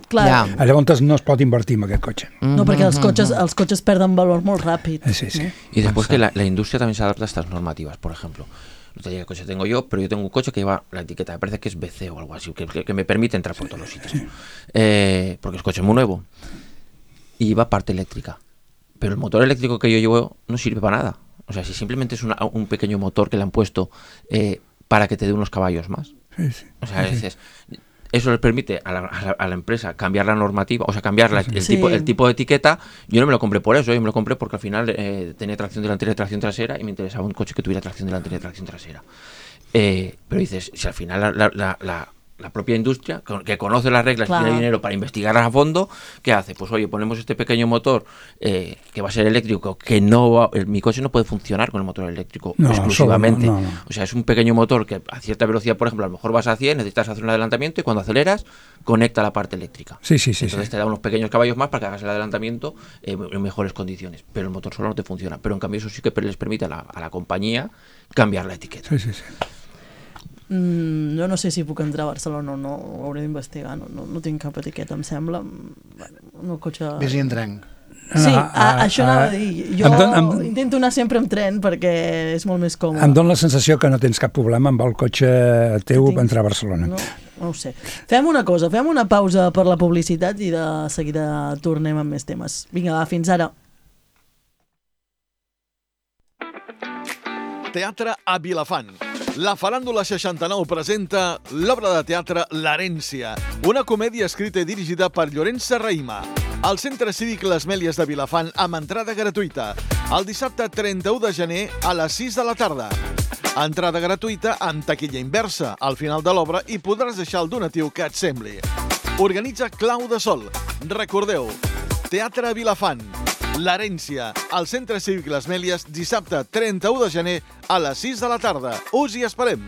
Clar. Ja. Llavors no es pot invertir en aquest cotxe. No, perquè els cotxes, els cotxes perden valor molt ràpid. Sí, sí. Y después que la, la industria también se adapta a estas normativas, por ejemplo. No te digo qué coche tengo yo, pero yo tengo un coche que lleva la etiqueta, me parece que es B C o algo así, que, que, que me permite entrar por todos los sitios. Eh, porque el coche es muy nuevo y lleva parte eléctrica. Pero el motor eléctrico que yo llevo no sirve para nada. O sea, si simplemente es una, un pequeño motor que le han puesto eh, para que te dé unos caballos más. Sí, sí. O sea, sí, sí. Es, eso les permite a la, a, la, a la empresa cambiar la normativa, o sea, cambiar la, el, sí. tipo, el tipo de etiqueta. Yo no me lo compré por eso, yo me lo compré porque al final eh, tenía tracción delantera y tracción trasera y me interesaba un coche que tuviera tracción delantera y tracción trasera. Eh, pero dices, si al final la, la, la, la, la propia industria, que conoce las reglas, claro, y tiene dinero para investigarlas a fondo, ¿qué hace? Pues oye, ponemos este pequeño motor eh, que va a ser eléctrico, que no va, el, mi coche no puede funcionar con el motor eléctrico no, exclusivamente. No, no, no. O sea, es un pequeño motor que a cierta velocidad, por ejemplo, a lo mejor vas a cien, necesitas hacer un adelantamiento y cuando aceleras, conecta la parte eléctrica. Sí, sí, sí. Entonces sí. te da unos pequeños caballos más para que hagas el adelantamiento eh, en mejores condiciones. Pero el motor solo no te funciona. Pero en cambio eso sí que les permite a la, a la compañía cambiar la etiqueta. Sí, sí, sí. Mm, jo no sé si puc entrar a Barcelona o no, ho hauré d'investigar, no, no, no tinc cap etiqueta, em sembla. Bueno, el cotxe... Vés-hi en tren. Sí, a, a, això anava a dir. Jo em don, em, intento anar sempre amb tren perquè és molt més còmode. Em dóna la sensació que no tens cap problema amb el cotxe teu per entrar a Barcelona. No, no ho sé. Fem una cosa, fem una pausa per la publicitat i de seguida tornem amb més temes. Vinga, va, fins ara. Teatre a Vilafant. La Faràndula seixanta-nou presenta l'obra de teatre L'Herència, una comèdia escrita i dirigida per Llorenç Serrahima. Al Centre Cívic Les Mèlies de Vilafant amb entrada gratuïta. El dissabte trenta-u de gener a les sis de la tarda. Entrada gratuïta amb taquilla inversa al final de l'obra i podràs deixar el donatiu que et sembli. Organitza Clau de Sol. Recordeu, Teatre a Vilafant. L'Herència, al Centre Cívic Les Mèlies, dissabte trenta-u de gener a les sis de la tarda. Us hi esperem!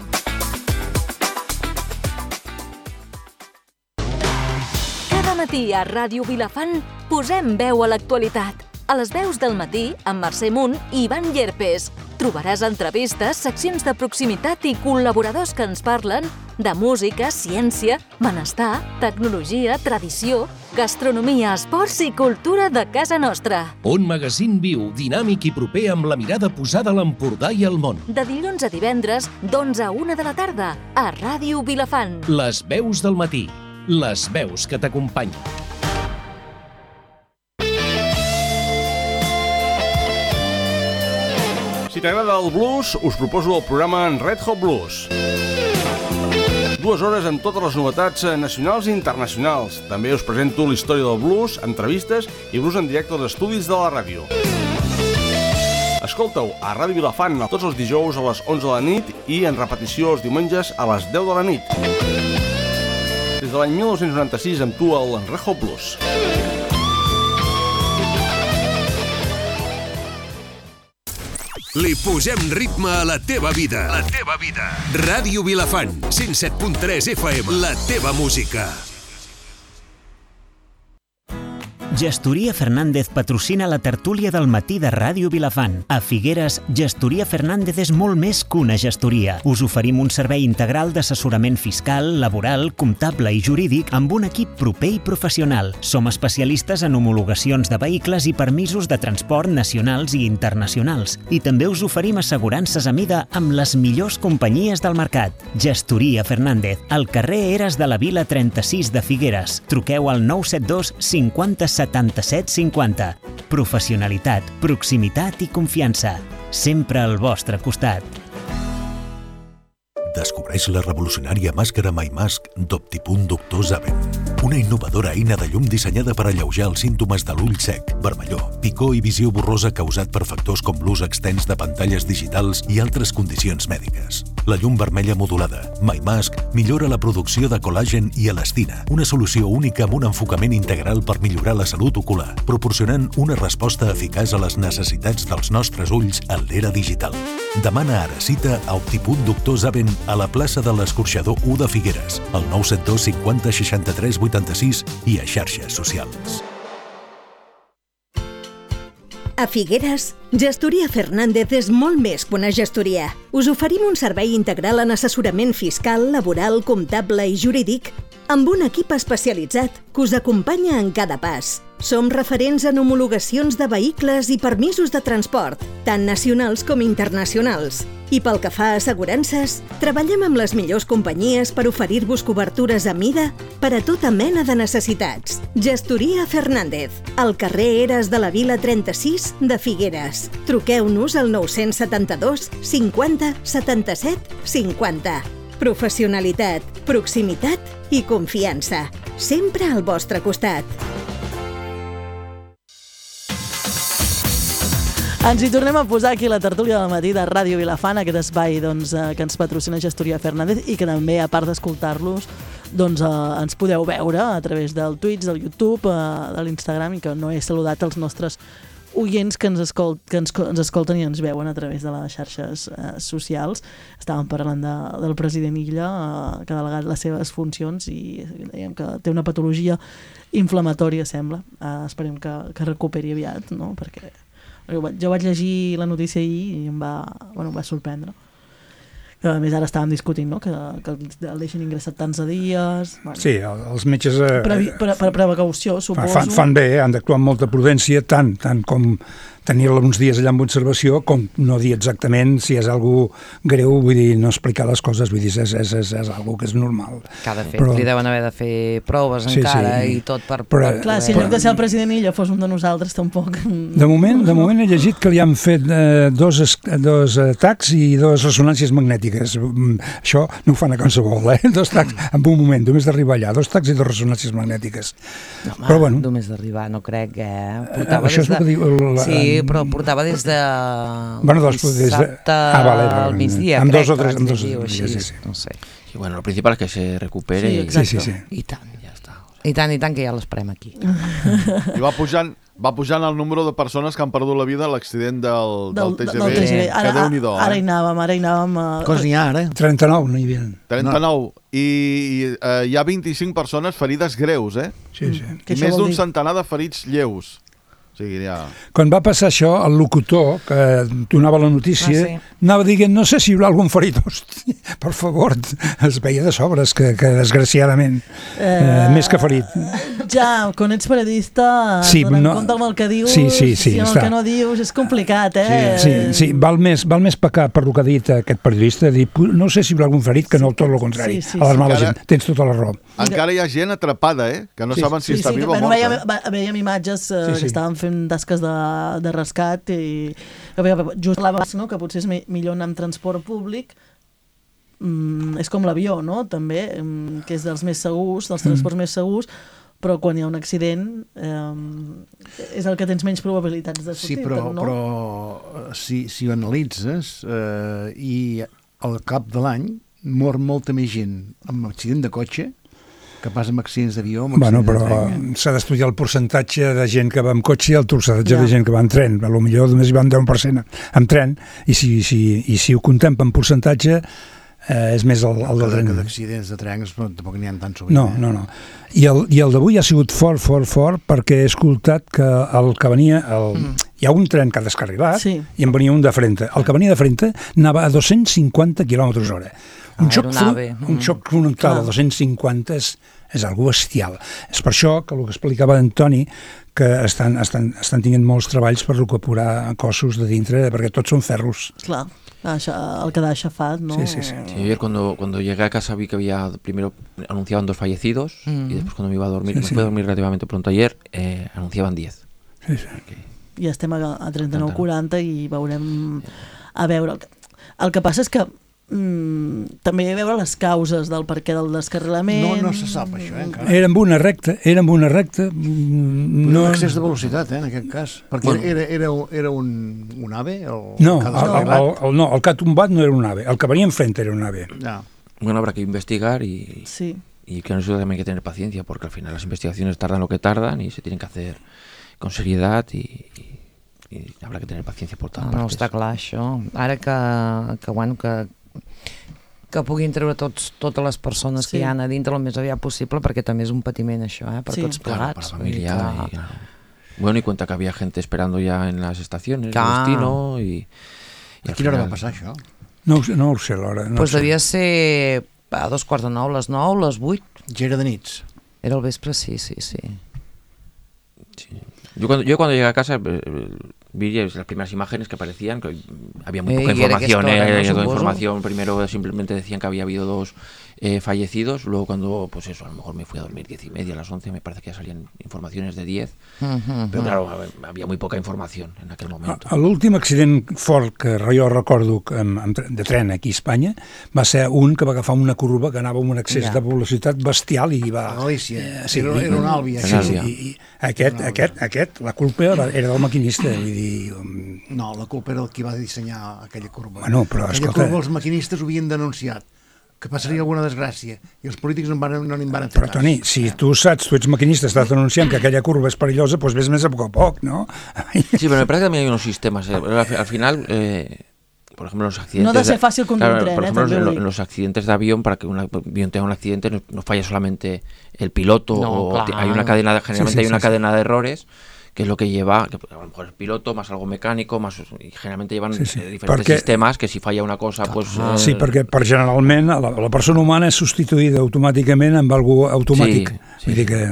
Cada matí a Ràdio Vilafant posem veu a l'actualitat. A les veus del matí, amb Mercè Munt i Ivan Llerpes. Trobaràs entrevistes, seccions de proximitat i col·laboradors que ens parlen de música, ciència, benestar, tecnologia, tradició, gastronomia, esports i cultura de casa nostra. Un magazín viu, dinàmic i proper amb la mirada posada a l'Empordà i al món. De dilluns a divendres, d'onze a una de la tarda, a Ràdio Vilafant. Les veus del matí. Les veus que t'acompanyen. Si t'agrada el blues, us proposo el programa Red Hot Blues. Dues hores amb totes les novetats nacionals i internacionals. També us presento la història del blues, entrevistes i blues en directe als estudis de la ràdio. Escolta-ho a Ràdio Vilafant tots els dijous a les onze de la nit i en repetició els diumenges a les deu de la nit. Des de l'any mil nou-cents noranta-sis amb tu el Red Hot Blues. Li posem ritme a la teva vida. La teva vida. Ràdio Vilafant, cent set punt tres F M. La teva música. Gestoria Fernández patrocina la tertúlia del matí de Ràdio Vilafant. A Figueres, Gestoria Fernández és molt més que una gestoria. Us oferim un servei integral d'assessorament fiscal, laboral, comptable i jurídic amb un equip proper i professional. Som especialistes en homologacions de vehicles i permisos de transport nacionals i internacionals. I també us oferim assegurances a mida amb les millors companyies del mercat. Gestoria Fernández, al carrer Eres de la Vila trenta-sis de Figueres. Truqueu al nou set dos cinquanta setanta-set cinquanta. Professionalitat, proximitat i confiança. Sempre al vostre costat. Descobreix la revolucionària màscara MyMask d'Optipunt Doctor Zaven. Una innovadora eina de llum dissenyada per alleujar els símptomes de l'ull sec, vermellor, picor i visió borrosa causat per factors com l'ús extens de pantalles digitals i altres condicions mèdiques. La llum vermella modulada, MyMask, millora la producció de col·làgen i elastina, una solució única amb un enfocament integral per millorar la salut ocular, proporcionant una resposta eficaç a les necessitats dels nostres ulls en l'era digital. Demana ara cita a Optipunt Doctor Zaven a la plaça de l'Escorxador u de Figueres, al nou set dos cinquanta seixanta-tres vuitanta-sis i a xarxes socials. A Figueres, Gestoria Fernández és molt més que una gestoria. Us oferim un servei integral en assessorament fiscal, laboral, comptable i jurídic amb un equip especialitzat que us acompanya en cada pas. Som referents en homologacions de vehicles i permisos de transport, tant nacionals com internacionals. I pel que fa a assegurances, treballem amb les millors companyies per oferir-vos cobertures a mida per a tota mena de necessitats. Gestoria Fernández, al carrer Eres de la Vila trenta-sis de Figueres. Truqueu-nos al nou setanta-dos cinquanta setanta-set cinquanta. Professionalitat, proximitat i confiança. Sempre al vostre costat. Ens hi tornem a posar aquí la tertúlia del matí de Ràdio Vilafant, aquest espai doncs, eh, que ens patrocina Gestoria Fernández i que també, a part d'escoltar-los, doncs, eh, ens podeu veure a través del Twitch, del YouTube, eh, de l'Instagram, i que no he saludat els nostres oients que ens, escolt, que ens, ens escolten i ens veuen a través de les xarxes eh, socials. Estàvem parlant de, del president Illa, eh, que ha delegat les seves funcions i dèiem que té una patologia inflamatòria, sembla. Eh, esperem que, que recuperi aviat, no? Perquè jo vaig llegir la notícia ahir i em va, bueno, em va sorprendre. Que a més ara estàvem discutint, no? que, que el deixen ingressat tants de dies... Bueno. Sí, els metges... Eh, per, per, per precaució, suposo. Fan, fan bé, eh? Han d'actuar amb molta prudència, tant, tant com tenir-la uns dies allà amb observació, com no dir exactament si és algú greu, vull dir, no explicar les coses, vull dir, és, és, és, és algo que és normal. Cada fet, però... li deuen haver de fer proves sí, encara sí. i tot per... Però, clar, si en lloc de ser el president Illa fos un de nosaltres, tampoc... De moment, de moment he llegit que li han fet eh, dos, dos atacs i dues ressonàncies magnètiques. Això no ho fan a qualsevol, eh? Dos tacs, en un moment, només d'arribar allà, dos tacs i dues ressonàncies magnètiques. No, home, però, bueno, només d'arribar, no crec, eh? Portava això és el que diu... El, sí, però portava des de bueno, doncs, dissabte ah, vale, vale, al migdia, amb crec, dos o tres, amb dos, així, sí, sí. no sé. Y bueno, lo principal es que se recupere. Sí, exacte. Sí, sí, sí. I tant, ja està. I tant, i tant, que ja l'esperem aquí. I va pujant, va pujant el número de persones que han perdut la vida a l'accident del, del, del T G V. Del T G V. Ara, que Déu-n'hi-do, ara eh? hi anàvem, ara hi anàvem... Uh... Quants n'hi ha, ara? trenta-nou, no hi havia. trenta-nou. No. I, i uh, hi ha vint-i-cinc persones ferides greus, eh? Sí, sí. I més d'un centenar de ferits lleus. O sigui, ja... Quan va passar això, el locutor que donava la notícia, ah, sí. anava dient, no sé si hi haurà algun ferit. Hosti, per favor, es veia de sobres que, que desgraciadament, eh, eh, més que ferit. Ja, quan ets periodista, sí, donant no, compte amb el que dius, sí, sí, sí, si el està. que no dius és complicat, eh? Sí, sí, sí. Val, més, val més pecar per el que ha dit aquest periodista, dir, no sé si hi haurà algun ferit, que no tot el contrari. Sí, sí, a l'alarmar sí. la gent, tens tota la raó. Encara hi ha gent atrapada, eh? Que no sí, saben si sí, està sí, viva o morta. Veiem, veiem imatges eh, sí, sí. que estaven fent tasques de, de rescat i just l'abans, no? Que potser és millor anar amb transport públic. Mm, és com l'avió, no? També, mm, que és dels més segurs, dels transports mm. més segurs, però quan hi ha un accident eh, és el que tens menys probabilitats de sortir. Sí, però, no? però si, si ho analitzes eh, i al cap de l'any mor molta més gent amb accident de cotxe que pas amb accidents d'avió. Bueno, però s'ha d'estudiar el percentatge de gent que va amb cotxe i el percentatge ja. de gent que va en tren. A lo millor només hi va un deu per cent amb tren, i si, si, i si ho contem en percentatge, eh, és més el, el del tren. Que d'accidents de trens tampoc n'hi ha tant sovint. No, no, no. I el, i el d'avui ha sigut fort, fort, fort, perquè he escoltat que el que venia... El, mm. Hi ha un tren que ha descarrilat sí. i en venia un de frente. El que venia de frente anava a dos-cents cinquanta quilòmetres hora. Un, ah, xoc, fron, un mm. xoc frontal a dos-cents cinquanta és, és algo bestial. És per això que el que explicava Antoni, que estan, estan, estan tinguent molts treballs per recuperar cossos de dintre, perquè tots són ferros. Clar, el que da aixafat, ¿no? Sí, sí, sí. sí ayer cuando, cuando llegué a casa vi que había, primero anunciaban dos fallecidos mm. y después cuando me iba a dormir, sí, me sí. fui a dormir relativamente pronto ayer, eh, anunciaban diez. Sí, sí. Okay. I estem a, a trenta-nou quaranta i veurem a veure. El que passa és que mm, també hi ha a veure les causes del perquè del descarrilament. No, no se sap això, eh, encara. Era amb una recta, era amb una recta. No... Un excés de velocitat, eh, en aquest cas. Perquè bueno. era, era, era un, un AVE? El, no, el, el, el, el, no, el que ha tombat no era un AVE, el que venia enfrente era un AVE. Ja. Bueno, habrá que investigar y, sí. y que nosotros también hay que tener paciencia, porque al final las investigaciones tardan lo que tardan y se tienen que hacer con seriedad y, y, y habrá que tener paciencia por todas no, partes. No, està clar això. Ara que, que, bueno, que, que puguin treure tots, totes les persones sí. que hi ha a dintre el més aviat possible, perquè també és un patiment això, eh, per sí. tots plegats. Claro, para la familia. Y, y, claro. Bueno, y cuenta que había gente esperando ya en las estaciones de destino y... y a quina hora va passar això? No, no ho sé l'hora. No pues sé. Devia ser a dos quarts de nou, les nou, les vuit. Ja era de nits? Era el vespre, sí, sí, sí. Sí. Yo cuando, yo cuando llegué a casa eh, vi las primeras imágenes que aparecían, que había muy poca eh, información, eh, no, toda información, primero simplemente decían que había habido dos eh, fallecidos, luego cuando, pues eso, a lo mejor me fui a dormir diez y media, a las once, me parece que ya salían informaciones de diez, uh-huh, pero claro, había muy poca información en aquel momento. L'últim accident fort que jo recordo de tren aquí a Espanya va ser un que va agafar una curva que anava amb un excés ja. de velocitat bestial i va... A Galícia, eh, sí, era, era un àlbia. Sí, sí, i, i aquest, aquest, aquest, la culpa era del maquinista, vull dir... Um... No, la culpa era el qui va dissenyar aquella curva. Bueno, però, aquella escolta... curva els maquinistes ho havien denunciat, que passaria alguna desgràcia, i els polítics no n'hi no van fer. Però, Toni, si tu saps, tu ets maquinista, estàs denunciant que aquella curva és perillosa, doncs ves més a poc a poc, ¿no? Sí, pero me parece que también hay unos sistemas. Eh. Al, al final, eh, por ejemplo, los accidentes... No debe ser fácil conducir claro, un tren, por ejemplo, eh, en, en los accidentes de avión, para que un avión tenga un accidente, no, no falla solamente el piloto, no, o claro. hay una cadena, generalmente sí, sí, hay una sí, cadena sí. de errores, que es lo que lleva, que a lo mejor el piloto, más algo mecánico, más y generalmente llevan sí, sí. diferentes perquè, sistemas, que si falla una cosa, pues... Ah, eh, sí, perquè per generalment la, la persona humana és substituïda automàticament amb algo automàtic. Sí, sí, Vull dir que...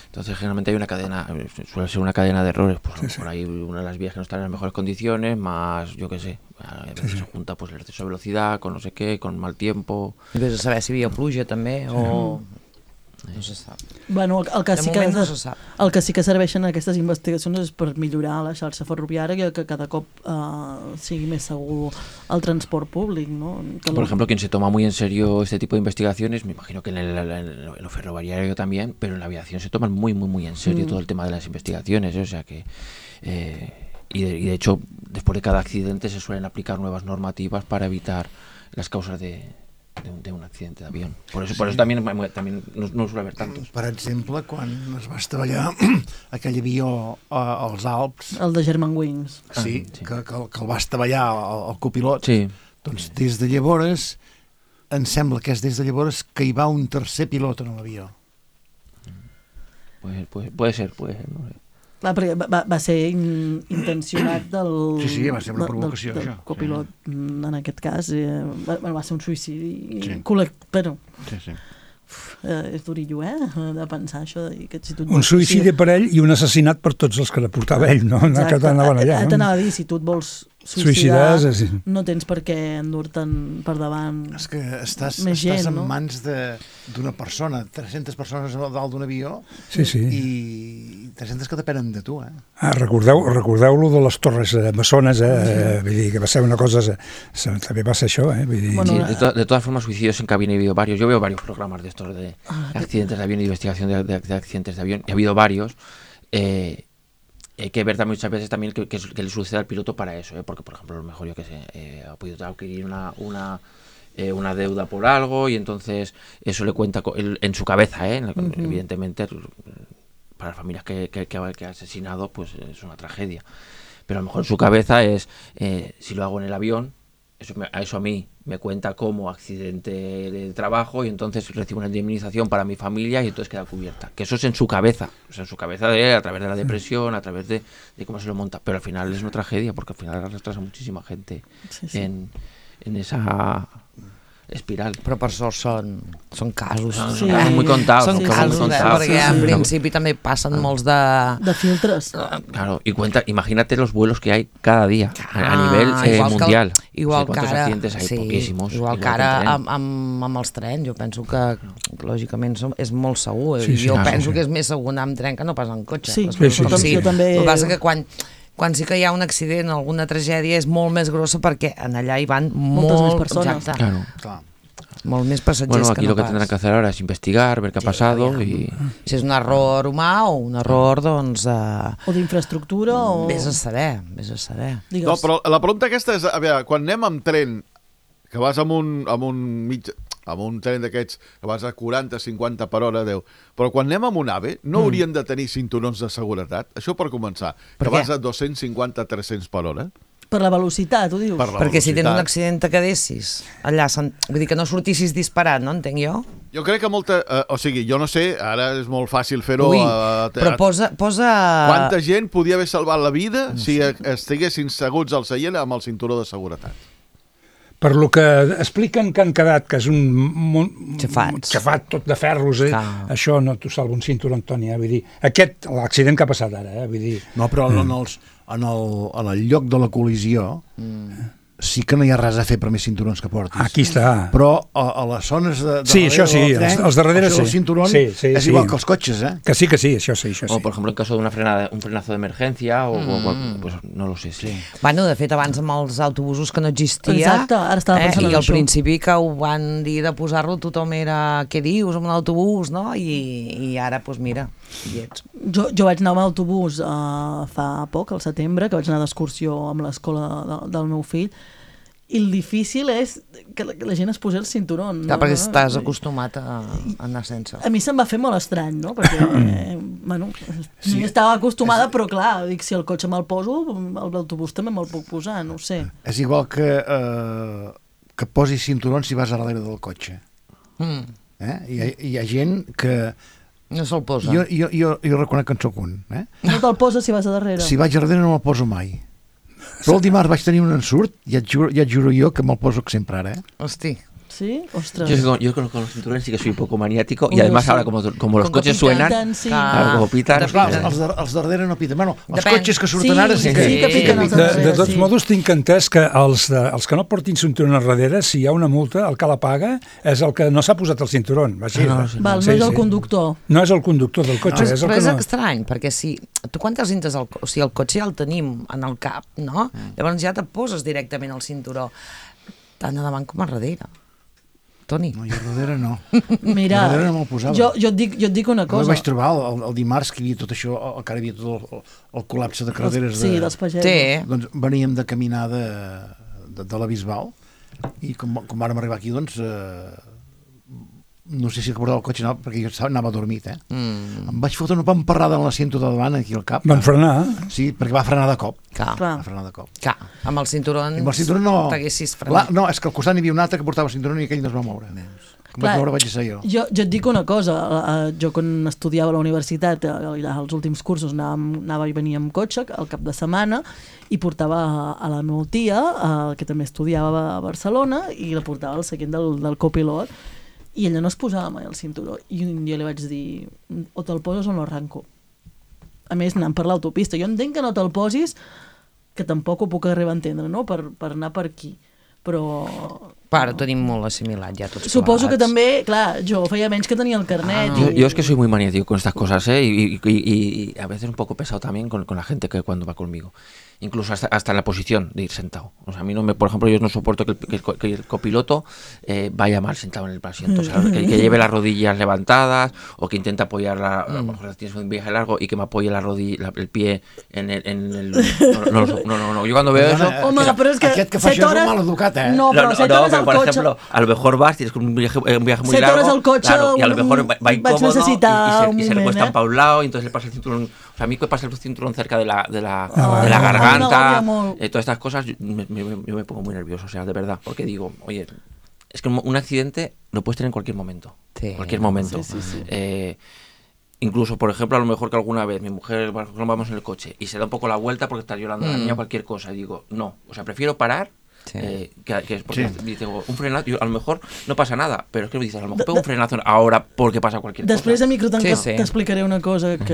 Entonces generalmente hay una cadena, suele ser una cadena de errores, pues sí, sí. por ahí una de las vías que no están en las mejores condiciones, más, yo qué sé, a veces sí, sí. se junta pues el exceso de velocidad, con no sé qué, con mal tiempo... I vés a saber si hi havia pluja també, sí. o... No se sap. Bueno, el, el, que de sí que, no se sap. El que sí que serveixen aquestes investigacions és per millorar la xarxa ferroviària, que cada cop uh, sigui més segur el transport públic, ¿no? Que Por lo... ejemplo, quien se toma muy en serio este tipo de investigaciones, me imagino que en, el, en lo ferroviario también, pero en la aviación se toman muy, muy, muy en serio mm. todo el tema de las investigaciones, ¿eh? O sea que... Eh, y, de, y de hecho, después de cada accidente se suelen aplicar nuevas normativas para evitar las causas de... De un, de un accidente d'avió. Por eso, sí. por eso también, también no, no suele haver tantos. Per exemple, quan es va estavellar aquell avió als Alps... El de Germanwings. Sí, ah, sí. Que, que, que el va estavellar el, el copilot. Sí. Doncs des de llavors, em sembla que és des de llavors que hi va un tercer pilot en l'avió. Puede, puede, puede ser, puede ser, no sé. Clar, perquè va, va ser in, intencionat del... Sí, sí, va ser una provocació, del, del, això. Del copilot, sí. En aquest cas, eh, va, va ser un suïcidi sí. col·lect... Però... Sí, sí. Uf, eh, és durillo, eh, de pensar això. De, que si tu un suïcidi per ell i un assassinat per tots els que la portava ell, no? Exacte. Que anaven allà, no? T'anava a dir, si tu et vols suïcidar, suïcidar sí. no tens per què endur-te'n per davant és que estàs, més gent, estàs en no? mans d'una persona, tres-centes persones a dalt d'un avió sí, sí. i tres-centes que depenen de tu, eh? Ah, recordeu, recordeu-lo de les Torres eh, Bessones, eh? Sí. Vull dir que va ser una cosa... També va ser això, eh? Vull dir... Bueno, sí, de, to de todas formas, suicidios en cabina he habido varios. Yo veo varios programas de estos de ah, accidentes de avión y investigación de, de, de accidentes de avión. Y ha habido varios. Eh, hay que ver también muchas veces también que, que, que le sucede al piloto para eso, ¿eh? Porque, por ejemplo, a lo mejor, yo que sé, eh, ha podido adquirir una... una Eh, una deuda por algo y entonces eso le cuenta el, en su cabeza, ¿eh? Uh-huh. Evidentemente para las familias que, que, que ha asesinado pues es una tragedia, pero a lo mejor en su cabeza es eh, si lo hago en el avión eso, me, eso a mí me cuenta como accidente de trabajo y entonces recibo una indemnización para mi familia y entonces queda cubierta. Que eso es en su cabeza, o sea, en su cabeza de él, a través de la depresión, a través de, de cómo se lo monta. Pero al final es una tragedia porque al final arrastras a muchísima gente sí, sí. En, en esa espiral. Però per sort són, són casos. No, sí. Són muy contados. Són sí, casos, sí, eh, sí, perquè sí, en sí. principi també passen molts de... De filtres. Claro, y cuenta, imagínate los vuelos que hay cada día a, a nivel eh, igual mundial. Que, igual o sigui, que ara... accidentes hay? Sí, poquísimos. Igual, igual que ara amb, amb, amb els trens, jo penso que lògicament és molt segur. Sí, sí, jo ah, penso sí. que és més segur anar amb tren que no pas en cotxe. Sí, sí, sí, sí. Jo també... El que passa que quan... quan sí que hi ha un accident o alguna tragèdia és molt més grossa perquè en allà hi van moltes molt... més persones. Exacte. Claro. Clar. Molt més passatgers bueno, aquí que no lo que pas. tendrán que hacer ahora es investigar, ver qué sí, ha pasado ja. y... Si és un error humà o un error, doncs... Uh... O d'infraestructura o... Vés a saber, vés a saber. Digues. No, però la pregunta aquesta és, a veure, quan anem amb tren, que vas amb un, amb un mig... amb un tren d'aquests que vas a quaranta cinquanta per hora, deu. Però quan anem amb un AVE, no mm. haurien de tenir cinturons de seguretat? Això per començar. Per que què? Vas a dos-cents cinquanta a tres-cents per hora. Per la velocitat, ho dius? Per la Perquè velocitat. si tens un accident te quedessis allà, vull dir que no sortissis disparat, no entenc jo? Jo crec que molta... Eh, o sigui, jo no sé, ara és molt fàcil fer-ho... Ui, a, a, però posa, posa... Quanta gent podia haver salvat la vida no si sé. estiguessin seguts al seient amb el cinturó de seguretat? Per lo que expliquen que han quedat, que és un Xafats. xafat tot de ferros, eh? Això no t'ho salva un cinturó, Antoni, eh? Vull dir, aquest, l'accident que ha passat ara, eh? Vull dir... No, però mm. en, els, en, el, en el lloc de la col·lisió mm. sí que no hi ha res a fer per més cinturons que portis. Aquí està. Però a, a les zones de, de sí, això sí, tren, els, els darrere sí. El cinturón sí, sí, és sí. igual que els cotxes, eh? Que sí, que sí, això sí, això sí. O, por ejemplo, en caso de una frenada, un frenazo de emergencia, o, mm. o pues no lo sé, sí. Bueno, de fet, abans amb els autobusos que no existia... Exacte, ara estava pensant eh? en I al això. principi que ho van dir de posar-lo, tothom era, què dius, amb un autobús, no? I, i ara, doncs mira, hi ets. Jo, jo vaig anar amb autobús uh, fa poc, al setembre, que vaig anar d'excursió amb l'escola de, del meu fill, i el difícil és que la, que la gent es posi el cinturó. Clar, no? perquè estàs acostumat a, a anar sense. A mi se'm va fer molt estrany, no? Perquè, eh, bueno, sí. estava acostumada, però clar, dic, si el cotxe me'l poso, l'autobús també me'l puc posar, no ho sé. És igual que, eh, que posis cinturons si vas a darrere del cotxe. Mm. Eh? Hi, ha, hi ha gent que... No se'l posa. Jo, jo, jo, jo reconec que en soc un. Eh? No te'l poses si vas a darrere? Si vaig a darrere no me'l poso mai. Però el dimarts vaig tenir un ensurt i et juro, ja et juro jo que me'l poso sempre ara, eh? Hosti. ¿Sí? Ostras. Yo, yo con, con los cinturones sí que soy un poco maniático. Uy, y además sí. ahora como, como los con coches suenan, pitan, sí. claro, como pitan. Clar, els, de, els darrere no piten. Bueno, els Depèn. cotxes que surten sí, ara sí que, sí que piquen els de, darrere. de tots sí. modos tinc entès que els, de, els que no portin cinturón al darrere, si hi ha una multa, el que la paga és el que no s'ha posat el cinturón. Va, així, no, no, sí, Val, sí, no és sí. el conductor. No és el conductor del cotxe. No, és el però que és no... estrany, perquè si tu quan te'ls entres al cotxe, o sigui, el cotxe ja el tenim en el cap, no? Mm. Llavors ja te poses directament al cinturó, tant a davant com a darrere. Toni. No, jo darrere no. Mira, darrere no me'l posava. Jo, jo, et dic, jo et dic una cosa. Jo vaig trobar el, el, el dimarts que hi havia tot això, encara hi havia tot el, el, el col·lapse de carreteres. Sí, de, dels pagesos. Sí. Doncs veníem de caminar de, de, de la Bisbal i com, com vàrem arribar aquí, doncs... Eh, no sé si recordava el cotxe, no, perquè jo anava adormit, eh? Mm. Em vaig fotre una pamparrada en l'assiento de davant, aquí al cap. Van frenar? Sí, perquè va frenar de cop. Clar. Va frenar de cop. Clar, amb el cinturón, amb el cinturón no... t'haguessis frenat. La, no, és que al costat n'hi havia un altre que portava el cinturón i aquell no es va moure. Com vaig moure vaig ser jo. jo. Jo et dic una cosa, jo quan estudiava a la universitat, als últims cursos anava, anava i venia amb cotxe al cap de setmana i portava a la meva tia, que també estudiava a Barcelona, i la portava al seient del, del copilot, i ella no es posava mai el cinturó. I un dia li vaig dir, o te'l poses o no arranco. A més, anant per l'autopista. Jo entenc que no te'l posis, que tampoc ho puc arribar a entendre, no? Per, per anar per aquí. Però... Però ho tenim molt assimilat ja tots Suposo plegats. que també, clar, jo feia menys que tenia el carnet. Ah, no. y... yo, yo es que soy muy maniático con estas cosas, ¿eh? Y, y, y, y a veces un poco pesado también con, con la gente que cuando va conmigo. Incluso hasta, hasta en la posición de ir sentado. O sea, a mí no me, por ejemplo, yo no soporto que el, que el, que el copiloto eh, vaya mal sentado en el asiento. O sea, que, que lleve las rodillas levantadas o que intente apoyar la, a lo mejor tienes un viaje largo y que me apoye la rodilla, la, el pie en el, en el no, no, no, no, no, no. Yo cuando veo eso... Home, però és que aquest que fa això és un mal educat, eh? No, però no, set no, hores pero al por cotxe... ejemplo, a lo mejor vas, tienes un viaje, un viaje muy set largo, hores al cotxe, claro, y a lo mejor va, va vaig incómodo y, y, necessitar se, un y se moment, recuestan eh? para un lado y entonces le pasa el cinturón O sea, a mí que pasa el cinturón cerca de la, de la, Ah, de la no, garganta, no, no, eh, todas estas cosas, yo me, me, yo me pongo muy nervioso, o sea, de verdad, porque digo, oye, es que un accidente lo puedes tener en cualquier momento, sí, cualquier momento. Sí, sí, sí. Eh, incluso, por ejemplo, a lo mejor que alguna vez mi mujer, por ejemplo, vamos en el coche y se da un poco la vuelta porque está llorando mm. la niña o cualquier cosa, y digo, no, o sea, prefiero parar. Sí. Eh, que, que es porque sí. dice, un frenazo, yo, a lo mejor no pasa nada, pero es que me dices, a lo mejor pego un frenazo ahora porque pasa cualquier Després cosa. Després de micro sí, sí. t'explicaré una cosa que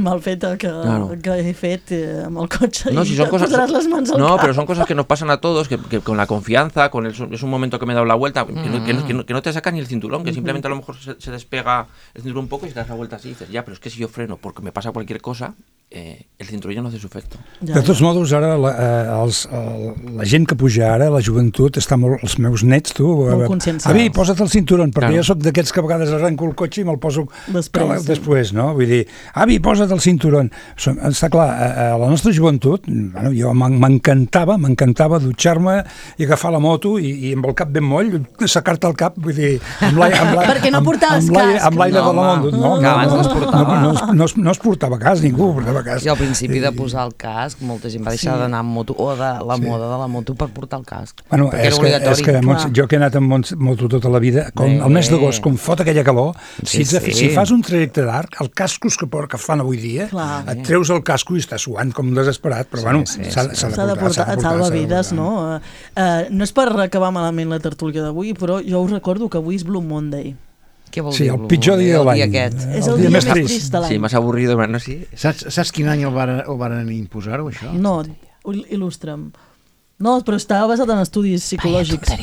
mal feta que, claro. que he fet eh, amb el cotxe no, i si son te cosas, posaràs les mans al no, cap. pero son cosas que nos pasan a todos, que, que con la confianza, con el, es un momento que me he dado la vuelta, que, mm. no, que, no, que, no, que no te saca ni el cinturón, que mm-hmm. simplemente a lo mejor se, se despega el cinturón un poco y te das la vuelta así y dices, ya, pero es que si yo freno porque me pasa cualquier cosa, eh, el cinturón ya no hace su efecto. Ja, de tots ja. modos, ara la, eh, els, el, la gent que puja ara, la joventut, està molt, els meus nets, tu, molt consciencials. Avi, posa't el cinturón, perquè claro. jo sóc d'aquests que a vegades arrenco el cotxe i me'l poso després, sí. després, no? Vull dir, avi, posa't el cinturón. Està clar, a, a la nostra joventut, bueno, jo m'encantava, m'encantava dutxar-me i agafar la moto i, i amb el cap ben moll, sacar-te el cap, vull dir, amb l'aire... Perquè no portaves casc. Amb l'aire no, de la moto. No, no, que abans no, no es portava. No, no, no, no es portava cas, ningú portava cas. I al principi de posar el casc, molta gent va deixar sí. d'anar amb moto, o de la sí. moda de la moto per portar el casc. Bueno, és que, és que jo que he anat amb moto tota la vida, com el mes d'agost, com fot aquella calor, sí, si, sí. si fas un trajecte d'arc, els cascos que, que fan avui dia, clar. Et treus el casco i estàs suant com desesperat, però sí, bueno, sí, s'ha sí. de, de portar. Et salva vides, no? Uh, no és per acabar malament la tertúlia d'avui, però jo us recordo que avui és Blue Monday. Què vol sí, dir? el pitjor dia de l'any. És el dia més trist de l'any. Sí, més avorrido, no? Sí. Saps, saps quin any ho varen, ho varen imposar-ho, això? No, il·lustra'm. No, però estava basat en estudis psicològics.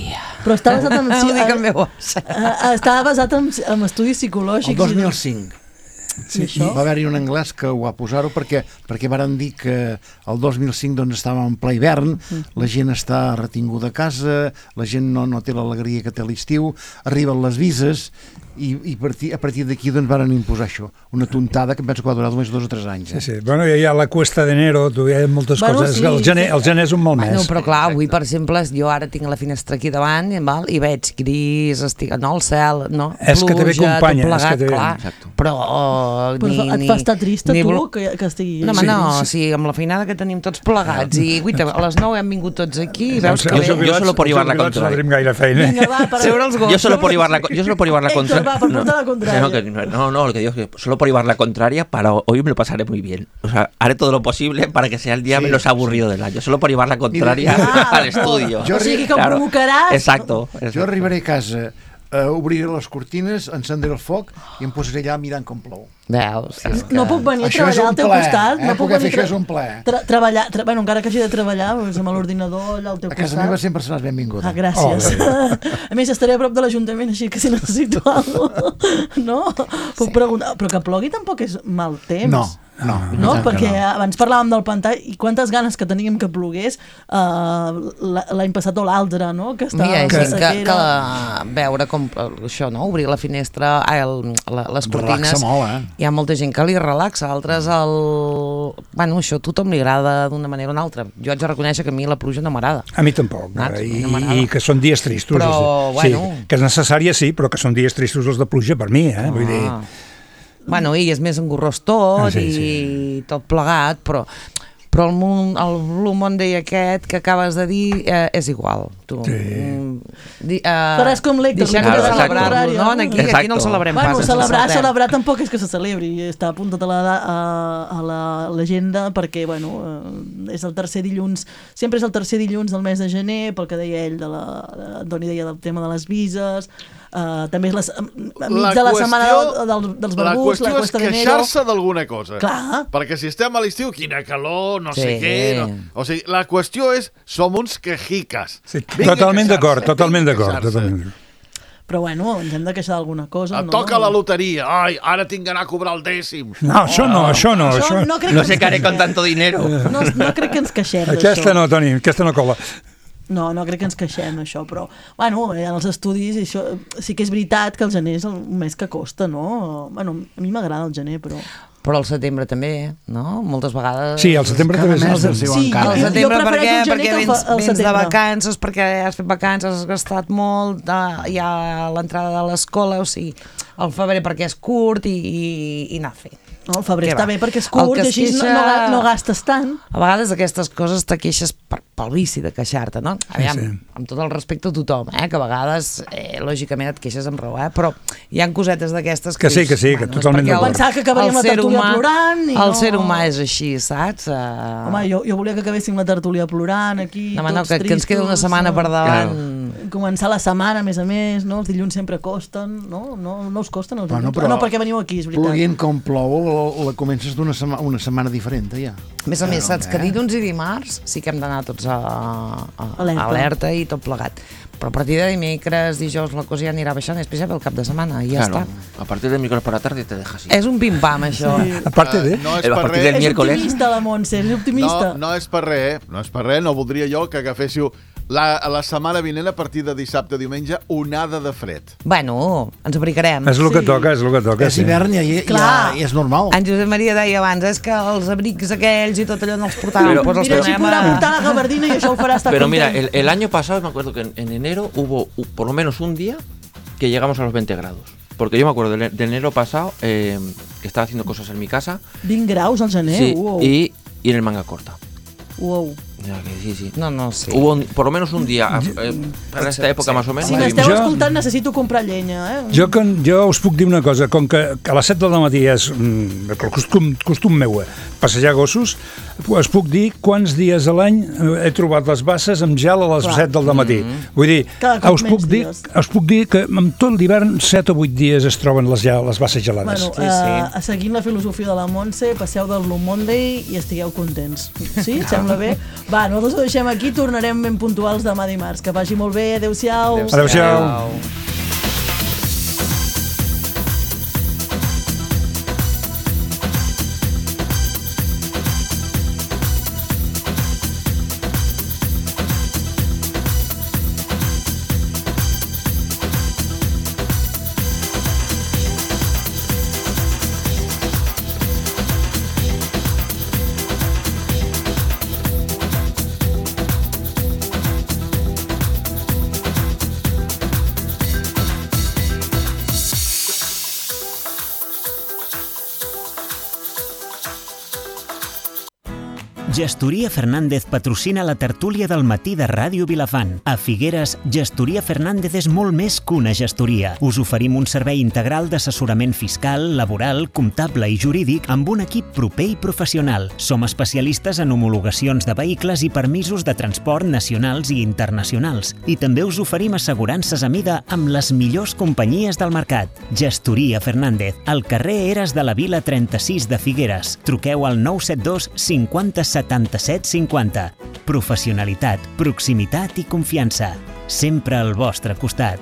Però estava basat en... Ho dic en veu Estava basat en, en estudis psicològics. El dos mil cinc. Sí, va haver-hi un anglès que ho va posar-ho perquè, perquè varen dir que el dos mil cinc doncs, estava en ple hivern, la gent està retinguda a casa, la gent no, no té l'alegria que té l'estiu, arriben les vises i, i partir, a partir d'aquí doncs, varen imposar això, una tontada que em penso que va durar només dos o tres anys. Eh? Sí, sí. Bueno, hi ha la cuesta d'enero, hi ha moltes bueno, coses, sí, el, gener, el gener és un mal mes. Bueno, però clar, avui per exemple jo ara tinc la finestra aquí davant val? I veig gris, estic, no, el cel, no? És pluja, que te ve companya, plegat, és que te ve. Clar, però oh, però ni, et fa estar trista tu que, que estigui... No, home, no, sí, sí. sí, amb la feinada que tenim tots plegats i guita, a les nou hem vingut tots aquí i veus que jo, jo solo por llevar la contraria. No tenim gaire feina. Vinga, va, per... Yo solo por llevar la, yo solo por llevar la contraria. Va, per portar la contraria. No, que, no, no, lo que digo es que solo por llevar la contraria, para hoy me lo pasaré muy bien. O sea, haré todo lo posible para que sea el día sí, menos avorrido sí. del año. Solo por llevar la contraria ah, al estudio. Jo, o sigui que claro. provocaràs... Exacto, exacto. Jo arribaré a casa, uh, obriré les cortines, encendré el foc i em posaré allà mirant com plou. Veus? Sí, que... No puc venir a treballar al teu ple, costat. Eh? No puc venir fer això és un ple. Tra treballar, tra bueno, encara que hagi de treballar doncs, amb l'ordinador allà al teu costat. A casa meva sempre seràs benvinguda. Ah, gràcies. Oh, a més, estaré a prop de l'Ajuntament, així que si necessito alguna cosa... No? Puc sí. preguntar... Però que plogui tampoc és mal temps. No. No, no, no perquè no. abans parlàvem del pantà i quantes ganes que teníem que plogués uh, l'any passat o l'altre, no? Que estava Mira, que, que, que veure com això, no? Obrir la finestra, ah, el, la, les cortines. Relaxa molt, eh? Hi ha molta gent que li relaxa, altres el... Bueno, això a tothom li agrada d'una manera o una altra. Jo haig de reconèixer que a mi la pluja no m'agrada. A mi tampoc, no, I, no i que són dies tristos. Però, de... bueno... Sí, que és necessària, sí, però que són dies tristos els de pluja per mi, eh? Ah. Vull dir... Bueno, i és més engorrós tot ah, sí, sí. i tot plegat, però, però el, el Blue Monday aquest que acabes de dir eh, és igual. Tu. Sí. Di, uh, Faràs com l'Héctor, deixem de celebrar-lo, no? Aquí, aquí no el celebrem bueno, pas. Celebrar, celebrar tampoc és que se celebri, està apuntat a la, a, a l'agenda perquè, bueno, és el tercer dilluns, sempre és el tercer dilluns del mes de gener, pel que deia ell, de la, Antoni deia del tema de les vises, Uh, també és les, enmig de la setmana del, del, dels barbuts, la qüestió és queixar-se d'alguna cosa. Clar. Perquè si estem a l'estiu, quina calor, no sí. sé què... No. O sigui, la qüestió és, som uns quejicas. Sí, totalment d'acord, totalment d'acord. Però bueno, ens hem de queixar d'alguna cosa. Et no? toca la loteria. Ai, ara tinc d'anar a cobrar el dècim. No, això no, això no. Això, això... No, no sé què haré con tanto dinero. No, no crec que ens queixem d'això. Aquesta no, Toni, aquesta no cola. No, no crec que ens queixem d'això, però bueno, en els estudis això, sí que és veritat que el gener és el mes que costa, no? Bueno, a mi m'agrada el gener, però... Però el setembre també, no? Moltes vegades... Sí, el setembre també és... El sí, encara. El setembre jo perquè, el perquè el vens, el vens de vacances, perquè has fet vacances, has gastat molt, hi ha l'entrada de l'escola, o sigui, el febrer perquè és curt i, i, i anar fent. No, el febrer Què està va? bé perquè és El curt que i es així no, queixa- no, no gastes tant. A vegades aquestes coses te queixes per, pel vici de queixar-te, no? Aviam, sí. amb tot el respecte a tothom, eh? Que a vegades, eh, lògicament, et queixes amb raó, eh? Però hi ha cosetes d'aquestes que... Que sí, dius, que sí, que és totalment perquè el- d'acord. Pensava que acabaríem el la ser tertúlia humà- plorant i El no- ser humà és així, saps? Uh... Home, jo, jo volia que acabéssim la tertúlia plorant aquí, No, home, no, tots que, que ens queda una tristos, setmana no? per davant. Començar la setmana, a més a més, no? Els dilluns sempre costen, no? No, no us costen els Bueno, dilluns? però no, perquè veniu aquí, és veritat. Plovent com plou, la, la comences d'una sema, una setmana diferent, ja. A més a més, saps que dilluns i dimarts sí que hem d'anar tots a, a, Alerta. alerta i tot plegat. Però a partir de dimecres, dijous, la cosa ja anirà baixant, i després ja ve el cap de setmana i ja Claro, està. a partir del miércoles por la tarde te deja así. És un pim-pam, això. Sí. A part de... No és a per partir res. del És miércoles. optimista, la Montse, és optimista. No, no és per res, no és per res. No voldria jo que agaféssiu la, la setmana vinent, a partir de dissabte a diumenge, onada de fred. Bueno, ens abrigarem. És el que toca, és el que toca, És sí. hivern i, i, Clar. i, i és normal. En Josep Maria deia abans, és que els abrics aquells i tot allò no els portàvem, Però- doncs els Mira, si tornem podrà a... portar la gabardina i això el farà estar Pero mira, content. el, el año pasado me acuerdo que en, en enero hubo u- por lo menos un día que llegamos a los veinte grados. Porque yo me acuerdo del, del enero pasado eh, que estaba haciendo cosas en mi casa. vint graus al gener, Sí, uau. y, y en el manga corta. Uau. Ya que sí, sí. No, no, sí. Hubo un- por lo menos un día, eh, para esta época más o menos. Si que m'esteu Jo- escoltant, necessito comprar llenya, eh? Jo, con, jo us puc dir una cosa, com que a les set del matí és mm, el costum, costum meu, eh, passejar gossos, us puc dir quants dies a l'any eh, he trobat les basses amb gel a les Clar. set del matí. Mm-hmm. Vull dir, Cada cop us puc, menys dir, dies. us puc dir que amb tot l'hivern set o vuit dies es troben les, gel, les basses gelades. Bueno, Sí, sí. uh, seguint la filosofia de la Montse, passeu del Blue Monday i estigueu contents. Sí? Et sembla bé? Va, nosaltres ho deixem aquí, tornarem ben puntuals demà dimarts. Que vagi molt bé, adeu-siau. Adéu-siau. Gestoria Fernández patrocina la tertúlia del matí de Ràdio Vilafant. A Figueres, Gestoria Fernández és molt més que una gestoria. Us oferim un servei integral d'assessorament fiscal, laboral, comptable i jurídic amb un equip proper i professional. Som especialistes en homologacions de vehicles i permisos de transport nacionals i internacionals. I també us oferim assegurances a mida amb les millors companyies del mercat. Gestoria Fernández, al carrer Eres de la Vila trenta-sis de Figueres. Truqueu al nou set dos cinquanta setanta-set cinquanta. Professionalitat, proximitat i confiança. Sempre al vostre costat.